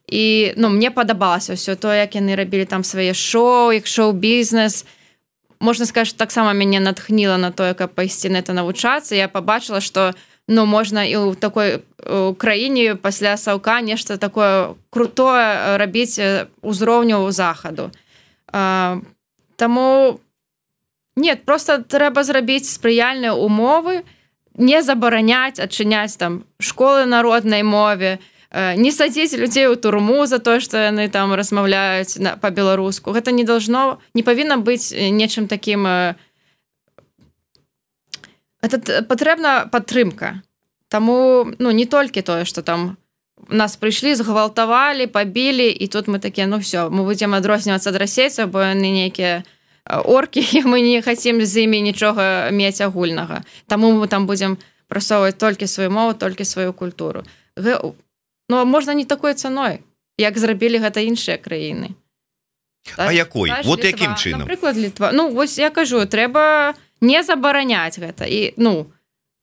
і ну, мне падабалася ўсё тое, як яны рабілі там свае шоу, як шоу-бізнес. Можна сказаць, што таксама мяне натхніла на тое, каб пайсці на это навучацца. Я пабачыла, што ну, можна і ў такой краіне пасля Саўка нешта такое крутое рабіць узроўню захаду. А, таму нет, просто трэба зрабіць спрыяльныя умовы, не забараняць, адчыняць там школы народнай мове, не садзіць людзей у турму за тое, што яны там размаўляюць па-беларуску. Гэта не должно, не павінна быць нечым такім. Это патрэбна падтрымка. Таму ну, не толькі тое, што там нас прыйшлі, згвалтавалі, пабілі, і тут мы такія, ну все, мы будзем адрознівацца ад расейцаў, бо яны нейкія оркі, і мы не хацім з імі нічога мець агульнага. Таму мы там будзем прасоўваць толькі сваю мову, толькі сваю культуру. Ну, можна не такой цаной, як зрабілі гэта іншыя краіны. А якой? Вот якім чынам? Напрыклад, Літва. Ну, вось я кажу, трэба не забараняць гэта. І, ну,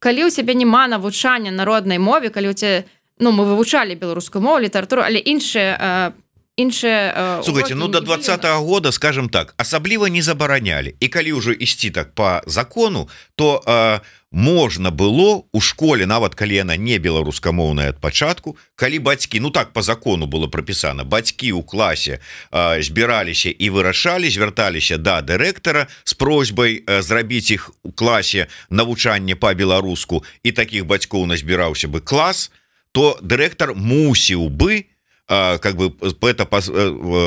калі ў цябе няма навучання народнай мове, калі ў цябе, ну, мы вывучалі беларускую мову, літаратуру, але іншыя іншыя... Слухайте, ну до двадцатого года, скажем так, асабліва не забаранялі. І калі ўжо ісці так по закону, то э, можна было у школе, нават калі яна не беларускамоўная ад пачатку, калі бацькі, ну так по закону было прапісана, бацькі ў класе э, збіраліся і вырашалі, звярталіся да дырэктара з просьбай э, зрабіць іх у класе навучанне па-беларуску, і такіх бацькоў назбіраўся бы клас, то дырэктар мусіў бы как бы это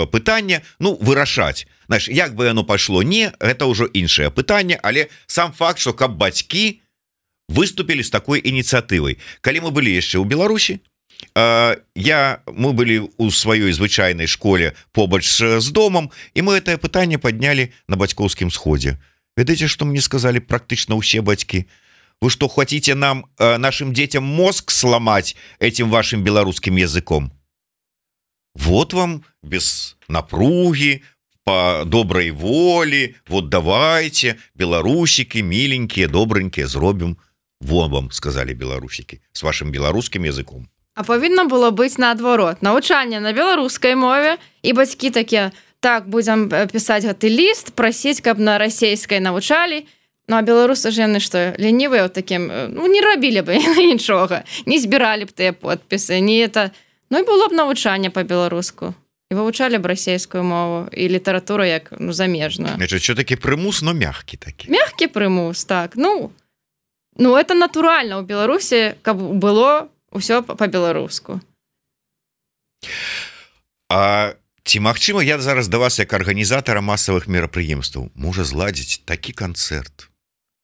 пытанне ну вырашаць. Знаешь, як бы оно пайшло, не, это ўжо іншае пытанне, але сам факт, што каб бацькі выступілі з такой ініцыятывай. Калі мы былі яшчэ ў Беларусі, я мы былі ў сваёй звычайнай школе побач з домам, і мы гэтае пытанне паднялі на бацькоўскім сходзе. Ведаеце, што мне сказалі практычна ўсе бацькі? Вы што, хотите нам нашим детям мозг сломать этим вашим беларускім языком? Вот вам без напруги, по доброй воле, вот давайте, белорусики, миленькие, добренькие, зробим. Вон вам, сказали белорусики, с вашим белорусским языком. А павінна было быць наадварот. Навучанне на беларускай мове, і бацькі такія, так, будзем пісаць гэты ліст, прасіць, каб на расейскай навучалі. Ну, а беларусы ж яны што, лянівыя ў такім, ну, не рабілі бы нічога, не збіралі б тыя подпісы, не это... Ну, і было б навучанне па-беларуску. І вывучалі б расейскую мову і літаратуру як ну, замежную. Значит, що такі прымус, но мягкі такі. Мягкі прымус, так. Ну, ну это натуральна ў Беларусі, каб было ўсё па-беларуску. А ці магчыма, я зараз да вас як арганізатара масавых мерапрыемстваў можа зладзіць такі канцэрт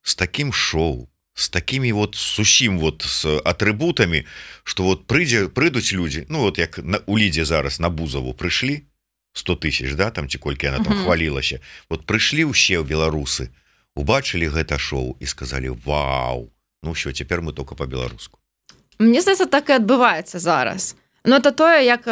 з такім шоу, с такими вот сусім вот с атрибутами, что вот прыдзе прыйдуць люди, ну вот як на, у Лідзе зараз на Бузову прыйшлі сто тысяч, да, там ці колькі она там uh-huh. хвалілася. Вот прыйшлі ўсе беларусы, убачылі гэта шоу і сказалі: вау, ну ўсё, цяпер мы только по-беларуску. Мне здаецца, так і адбываецца зараз. Ну это тое, як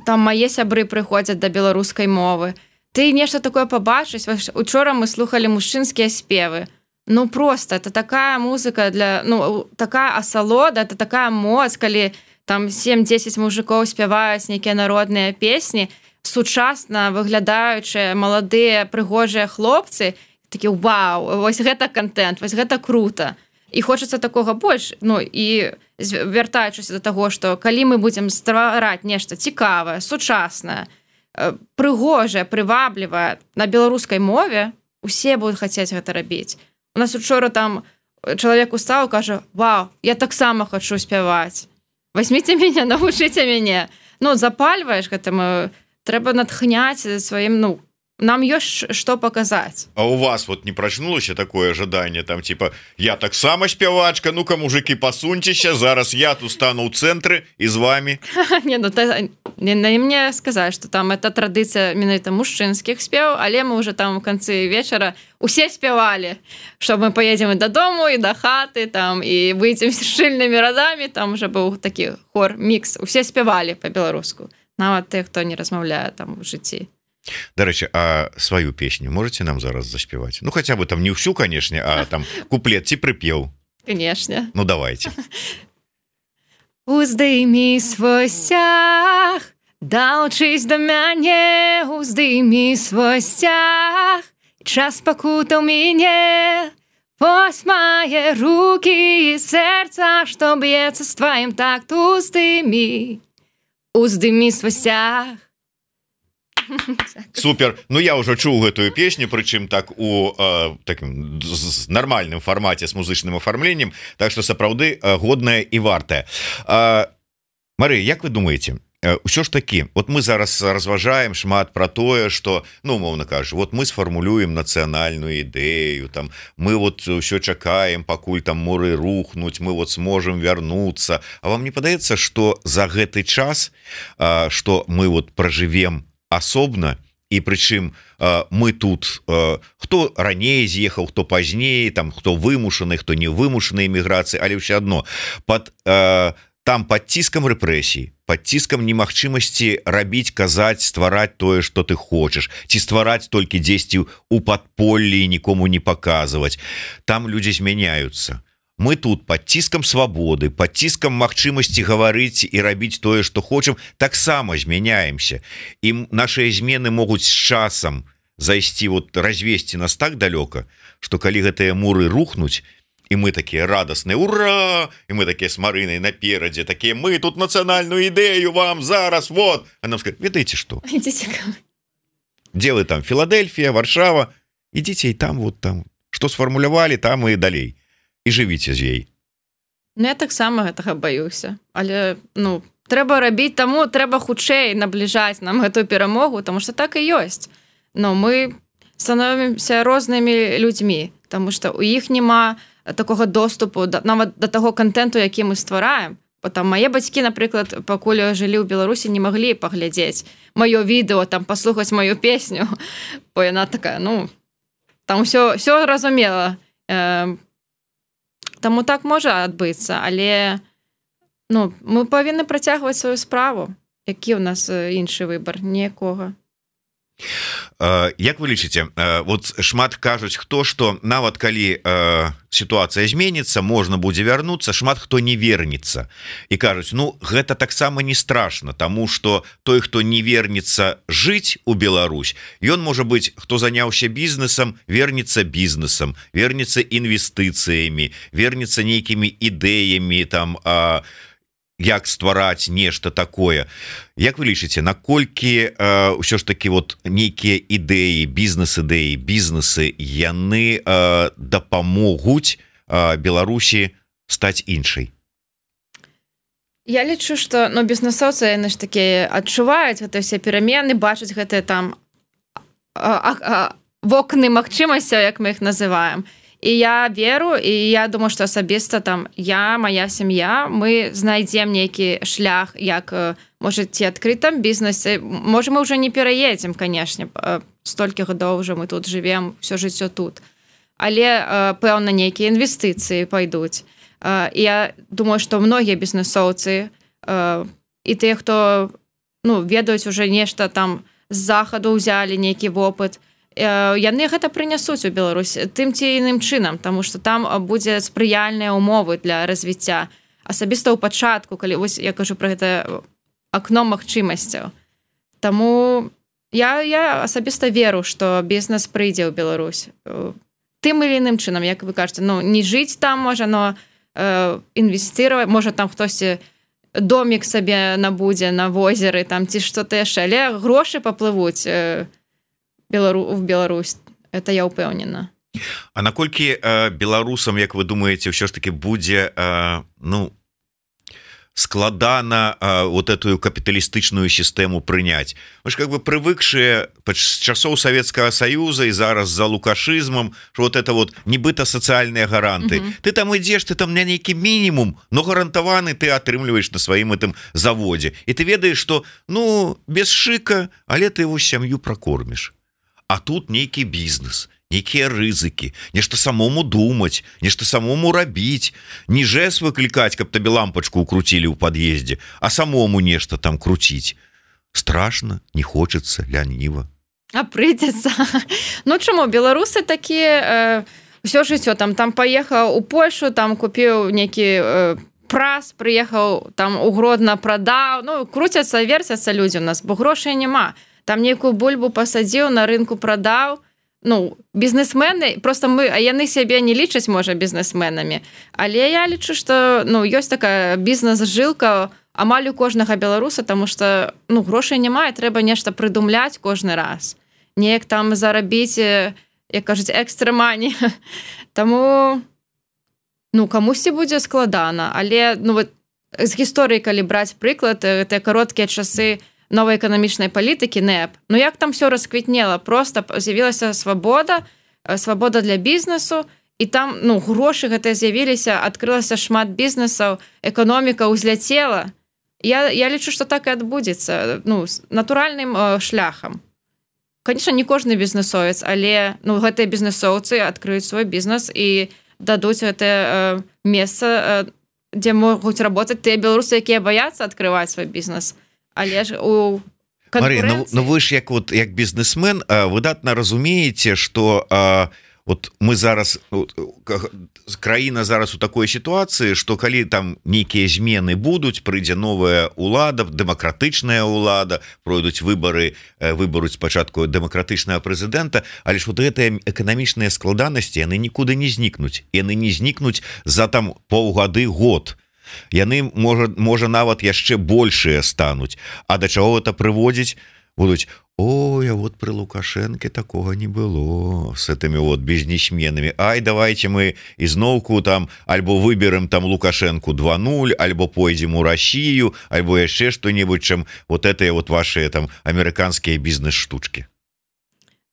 там мае сябры прыходзяць да беларускай мовы. Ты нешта такое пабачыш. Учора мы слухалі мужчынскія спевы. ну просто это такая музыка для ну такая асалода, это такая моц, калі там сем-дзесяць мужикоў спяваюць нейкія народныя песні, сучасна выглядаючыя маладыя прыгожыя хлопцы, такі вау, вось гэта контент, вось гэта круто. І хочацца такога больш, ну і вяртаючыся да таго, што калі мы будзем ствараць нешта цікавае, сучаснае, прыгожае, прываблівае на беларускай мове, усе будуць хацець гэта рабіць. У нас учора там чалавек устаў, кажа: "Вау, я таксама хачу спяваць. Возьмите мяне, навучыце мяне". Ну, запальваеш гэтым, трэба натхняць сваім, ну, нам ёсць што паказаць. А у вас вот не прачнулася такое жаданне, там типа: "Я таксама спявачка, ну-ка, мужики, пасуньцеся, зараз я тут стану ў цэнтры і з вами". Не, ну не, не мне сказаць, што там это традыцыя менавіта мужчынскіх спеў, але мы уже там у канцы вечара усе спявалі, што мы поедзем і дадому, і да хаты, там і выйдзем з шчыльнымі радамі, там уже быў такі хор, мікс, усе спявалі па-беларуску, нават тых, хто не размаўляе там у жыцці. Дарэчы, а сваю песню можете нам зараз заспяваць? Ну, хотя бы там не ўсю, канешне, а там куплет ці прыпеў. Канешне. Ну, давайте. Уздыми свой сцяг, далучись до мяне, уздыми свой сцяг, час пакутаў мяне, вось мае руки і сэрца, што б'ецца з тваім такт, уздыми, уздыми свой сцяг. Супер. Ну я уже чуў гэтую песню, прычым так у э, такім з нармальным фармаце з музычным афармленнем, так што сапраўды э, годная і вартая. Э, Марыя, як вы думаеце, э, ўсё ж такі, вот мы зараз разважаем шмат пра тое, што, ну умоўна кажу, вот мы сфармулюем нацыянальную ідэю, там мы вот ўсё чакаем, пакуль там муры рухнуць, мы вот сможем вярнуцца. А вам не падаецца, што за гэты час, э, што мы вот пражывем асобна, і прычым э, мы тут э, хто раней з'ехаў, хто пазней, там хто вымушаны, хто не вымушаны эміграцыі, але ўсё адно под э, там под ціскам рэпрэсій, под ціскам немагчымасці рабіць, казаць, ствараць тое, што ты хочаш, ці ствараць толькі дзесьці у падполлі і нікому не паказваць. Там людзі змяняюцца. Мы тут под ціскам свабоды, под ціскам магчымасці гаварыць і рабіць тое, што хочам, таксама змяняемся. І нашыя змены могуць з часам зайсці, вот развесці нас так далёка, што калі гэтыя муры рухнуць, і мы такія радасныя, ура! І мы такія з Марынай наперадзе, такія: "Мы тут нацыянальную ідэю вам зараз, вот". А нам скажуць: "Ведаеце што? Ідзіце. Дзе вы там, Філадельфія, Варшава, ідзіце і там, вот там, што сфармулявалі, там і далей. І жывіце з ёй". Ну, я таксама гэтага баюся. Але, ну, трэба рабіць, таму трэба хутчэй набліжаць нам гэтую перамогу, таму што так і ёсць. Но мы становімся рознымі людзьмі, таму што ў іх няма такога доступу да, нават да таго контенту, які мы ствараем. Потом мае бацькі, напрыклад, пакуль жылі ў Беларусі, не маглі паглядзець маё відэо, там паслухаць маю песню, бо яна такая, ну, там ўсё, ўсё разумела. Э, Таму так можа адбыцца, але ну, мы павінны працягваць сваю справу. Які ў нас іншы выбар? Ніякога. Як вы лічыце, вот шмат кажуць, хто што нават калі сітуацыя зменіцца, можна будзе вярнуцца, шмат хто не вернецца. І кажуць, ну гэта таксама не страшна, таму што той, хто не вернецца жыць у Беларусь, ён можа быць, хто заняўся бізнесам, вернецца бізнесам, вернецца інвестыцыямі, вернецца нейкімі ідэямі, там, а, як ствараць нешта такое. Як вы лічыце, наколькі э, ўсё ж такі вот нейкія ідэі, бізнес-ідэі, бізнесы, яны э, дапамогуць э, Беларусі стаць іншай? Я лічу, што ну, бізнесоўцы, яны ж такі адчуваюць гэтыя ўсе перамены, бачаць гэтыя там а, а, вокны магчымасцяў, як мы іх называем. І я веру, і я думаю, што асабіста там я, мая сям'я, мы знайдзем нейкі шлях, як, можа, ці адкрытым бізнесе. Можа, мы ўжо не пераедзем, канешне, столькі гадоў ўжо мы тут жывем, ўсё жыццё тут. Але, пэўна, нейкія інвестыцыі пайдуць. І я думаю, што многія бізнесоўцы і тыя, хто ну, ведаюць уже нешта там з захаду ўзялі нейкі вопыт, яны гэта прынясуць у Беларусь тым ці іным чынам, таму што там будзе спрыяльныя ўмовы для развіцця. Асабіста ў пачатку, калі вось я кажу пра гэта акно магчымасцяў. Таму я, я асабіста веру, што бізнес прыйдзе ў Беларусь. Тым или іным чынам, як вы кажаце, ну, не жыць там можа, но э, інвестировать, можа там хтосьці домик сабе набудзе на возеры, там ці што-то яшчэ, але грошы паплывуць э, Белару... в Беларусь. Это я ўпэўнена. А наколькі э, беларусам, як вы думаеце, ўсё ж таки будзе э, ну складана э, вот эту капіталістычную сістэму прыняць? Мы ж как бы прывыкшыя з часоў Савецкага Саюза і зараз за лукашызмам, что вот это вот нібыта сацыяльныя гаранты. Mm-hmm. Ты там ідзеш, ты там на нейкі мінімум, но гарантаваны ты атрымліваеш на сваім гэтым заводзе. І ты ведаеш, што ну без шыка, але ты его сям'ю прокорміш. А тут нейкі бізнес, нейкія рызыкі, нешта самому думаць, нешта самому рабіць, не жэс выклікаць, каб табе лампачку укруцілі ў пад'ездзе, а самому нешта там круціць. Страшна, не хочацца, ляніва. А прыйдзецца. Ну чаму, беларусы такія э, ўсё жыццё, там, там паехаў у Польшу, там купіў нейкі э, прас, прыехаў там у Гродно, прадаў, ну круцяцца, верцяцца людзі у нас, бо грошай няма. Там нейкую бульбу пасадзіў, на рынку прадаў. Ну, бізнесмены, просто мы, а яны сябе не лічаць, можа, бізнесменамі. Але я лічу, што ну, ёсць такая бізнес-жылка амаль у кожнага беларуса, таму што ну, грошай няма, і трэба нешта прыдумляць кожны раз. Неяк там зарабіць, як кажуць, экстра-мані. Таму ну, камусьці будзе складана. Але ну, вот, з гісторыі, калі браць прыклад, гэтыя кароткія часы новой эканамічнай палітыкі НЭП. Ну як там все расквітнела, просто з'явілася свабода, свабода для бізнесу, і там ну грошы гэтыя з'явіліся, адкрылася шмат бізнесаў, эканоміка ўзляцела. Я, я лічу, што так і адбудзецца, ну, натуральным э, шляхам. Конечно, не кожны бізнесовец, але ну, гэтыя бізнесоўцы адкрыюць свой бізнес і дадуць гэтае э, месца, э, дзе могуць работаць тыя беларусы, якія баяцца адкрываць свой бізнес. Але ж у Марія, ну, ну вы ж як вот як бізнесмен выдатна разумееце, што а, вот мы зараз краіна зараз у такой сітуацыі, што калі там нейкія змены будуць, прыйдзе новая ўлада, дэмакратычная ўлада, пройдуць выбары, выбаруць спачатку дэмакратычнага прэзідэнта, але ж вот гэтыя эканамічныя складанасці яны нікуды не знікнуць, яны не знікнуць за там паўгады, год. Яны можа, можа нават яшчэ большыя стануць. А да чаго это прыводзіць? Будуць: ой, а вот пры Лукашэнке такога не было с этими вот бізнесменамі. Ай, давайте мы ізноўку там альбо выберем там Лукашэнку два нуль, альбо пойдзем у Россию, альбо яшчэ што-небудзь, чым вот этыя вот ваши там амерыканскія бізнес-штучки.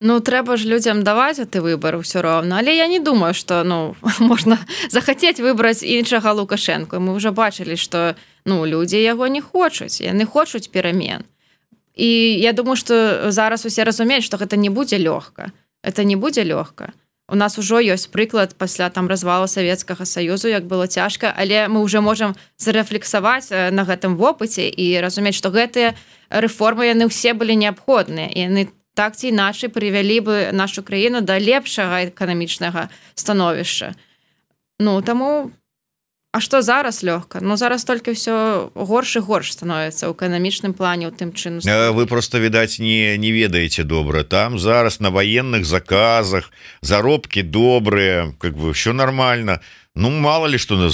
Ну, трэба ж людзям даваць гэты выбар ўсё роўна. Але я не думаю, што ну, можна захацець выбраць іншага Лукашэнку. Мы ўжо бачылі, што ну, людзі яго не хочуць. Яны хочуць перамен. І я думаю, што зараз усе разумеюць, што гэта не будзе лёгка. Это не будзе лёгка. У нас ужо ёсць прыклад пасля там развалу Савецкага Саюзу, як было цяжка, але мы ўжо можам зарэфлексаваць на гэтым вопыце і разумець, што гэтыя рэформы яны ўсе былі неабходныя. І яны так ці іначай прывялі бы нашу краіну да лепшага эканамічнага становішча. Ну, таму, а што зараз лёгка? Ну, зараз толькі ўсё горш і горш становіцца ў эканамічным плане, у тым чыну. Вы просто, відаць, не, не ведаеце добра. Там зараз на военных заказах, заробкі добрыя, как бы ўсё нормально. Ну, мало ли што на,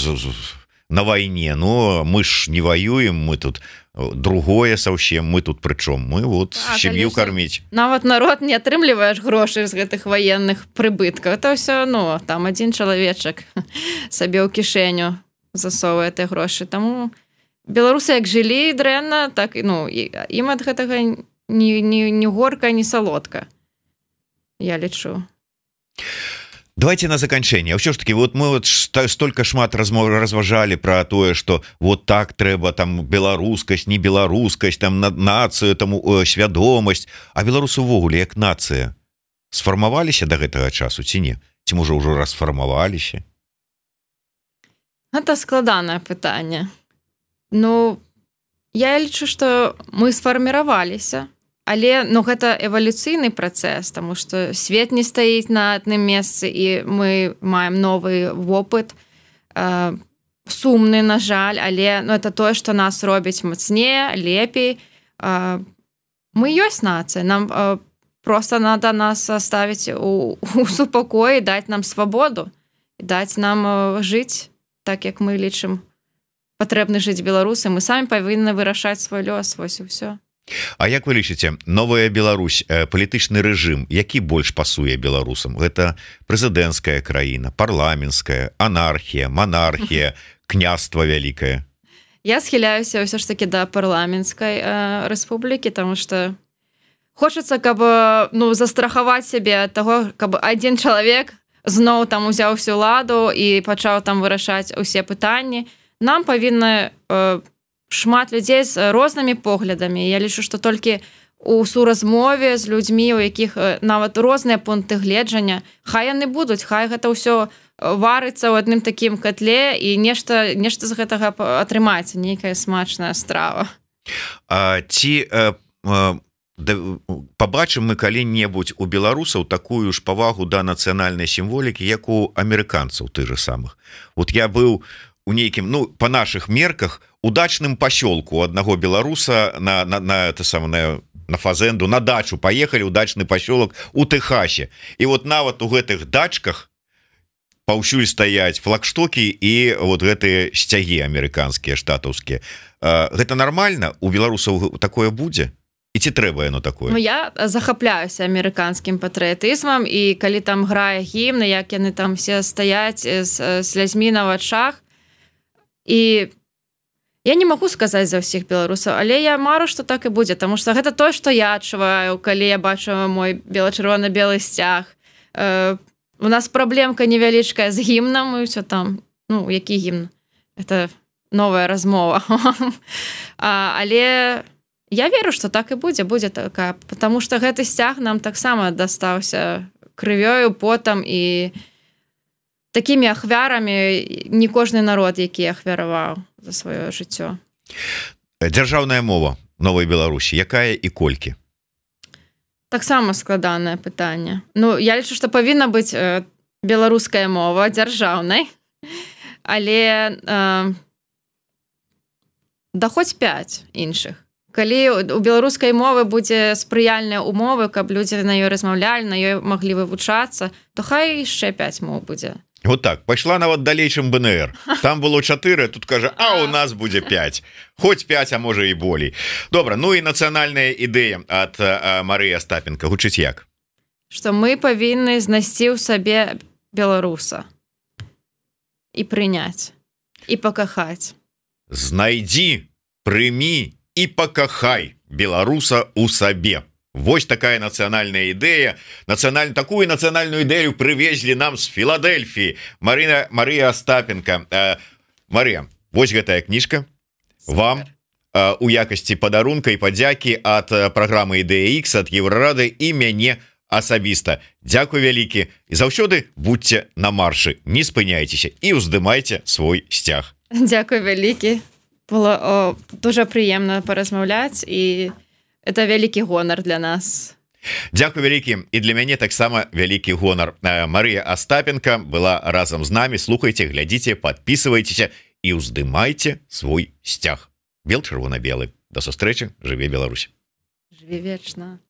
на вайне. Ну, мы ж не воюем, мы тут другое совсем, мы тут прычом, мы вот так, сям'ю карміць. Нават народ не атрымліваеш грошай з гэтых военных прыбыткаў. Это ўсё, ну, там адзін чалавечак сабе ў кішэню засоввае тыя грошы. Таму беларусы як жылі дрэнна, так ну, ім ад гэтага ні, ні, ні горка, ні салодка. Я лічу. Давайте на заканчэнне. Ўсё ж таки, вот мы вот столько шмат размов разважалі про тое, что вот так трэба там беларускасць, не беларускасць, там нацыю, там свядомасць. А беларусы увогуле як нацыя сфармаваліся до гэтага часу ці не? Ці можа ўжо расфармаваліся? Гэта складанае пытанне. Ну, я лічу, што мы сфарміраваліся, але ну гэта эвалюцыйны працэс, тому што свет не стаіць на адным месцы і мы маем новы вопыт, э, сумны, на жаль, але ну, это тое, што нас робіць мацнее, лепей. Э, мы ёсць нацыя, нам э, просто надо нас оставить у, у супокоі, даць нам свабоду, даць нам э, жыць так, як мы лічым патрэбны жыць беларусы. Мы самі павінны вырашаць свой лёс, вось і ўсё. А як вы лічыце, новая Беларусь, палітычны рэжым, які больш пасуе беларусам? Гэта прэзідэнцкая краіна, парламенцкая, анархія, манархія, княства вялікае? Я схіляюся ўсё ж таки да парламенцкай э, рэспублікі, таму што хочацца, каб ну, застрахаваць сябе ад таго, каб адзін чалавек зноў там узяў всю ладу і пачаў там вырашаць усе пытанні. Нам павінна э, шмат людзей з рознымі поглядамі. Я лічу, што толькі у суразмове з людзьмі, у якіх нават розныя пункты гледжання, хай яны будуць, хай гэта ўсё варыцца ў адным такім котле і нешта, нешта з гэтага атрымаецца, нейкая смачная страва. А ці э, э, да, пабачым мы калі-небудзь у беларусаў такую ж павагу да нацыянальнай сімволікі, як у амерыканцаў ты же самых? Вот я быў у нейкім, ну, по наших мерках, удачным пасёлку аднаго беларуса на, на, на, это самое, на фазенду, на дачу поехали, удачны пасёлак у Тэхасе. І вот нават у гэтых дачках паўсюль стаяць флагштокі і вот гэтыя сцягі амерыканскія, штатаўскія. Гэта нормально? У беларусаў такое будзе? І ці трэба яно такое? Ну, я захапляюся амерыканскім патрыятызмам, і калі там грае гімн, як яны там все стаяць з слязьмі на вачах, і я не магу сказаць за ўсіх беларусаў, але я мару, што так і будзе, таму што гэта тое, што я адчуваю, калі я бачу мой бела-чырвона-белы сцяг. Э, у нас праблемка невялічкая з гімнам, і ўсё там, ну, які гімн? Это новая размова. а, але я веру, што так і будзе, будзе такая, потому што гэты сцяг нам таксама дастаўся крывёю, потам і такімі ахвярамі не кожны народ, які ахвяраваў за сваё жыццё. Дзяржаўная мова новай Беларусі, якая і колькі? Таксама складанае пытанне. Ну, я лічу, што павінна быць э, беларуская мова дзяржаўнай, але э, да хоць пяць іншых. Калі у беларускай мовы будзе спрыяльныя умовы, каб людзі на ёй размаўлялі, на ёй маглі вывучацца, то хай яшчэ пяць моў будзе. Вот так, пайшла нават далей, чым бэ эн эр. Там было чатыры, тут кажа, а у нас будзе пяць. Хоць пяць, а можа і болей. Добра, ну і нацыянальная ідэя ад Марыі Астапенка гучыць як? Што мы павінны знайсці ў сабе беларуса і прыняць, і пакахаць. Знайдзі, прымі і пакахай беларуса ў сабе. Вось такая нацыянальная ідэя. Нацыянальную такую нацыянальную ідэю прывезлі нам з Філадельфіі. Марына Марыя Астапенка. Э, Марыя, вось гэтая кніжка. Супер. Вам э, у якасці падарунка і падзякі ад праграмы Ідэя Ікс, ад Еўрарады і мяне асабіста. Дзякуй вялікі. І заўсёды будьце на маршы, не спыняйцеся і ўздымайце свой сцяг. Дзякуй вялікі. Было о, дуже прыемна паразмаўляць і это вялікі гонар для нас. Дзякуй вялікі, і для мяне таксама вялікі гонар. Марыя Астапенка была разам з намі. Слухайце, глядзіце, подписывайтеся і ўздымайце свой сцяг. Бел-чырвона-белы. До сустрэчы, жыве Беларусь. Жыве вечна.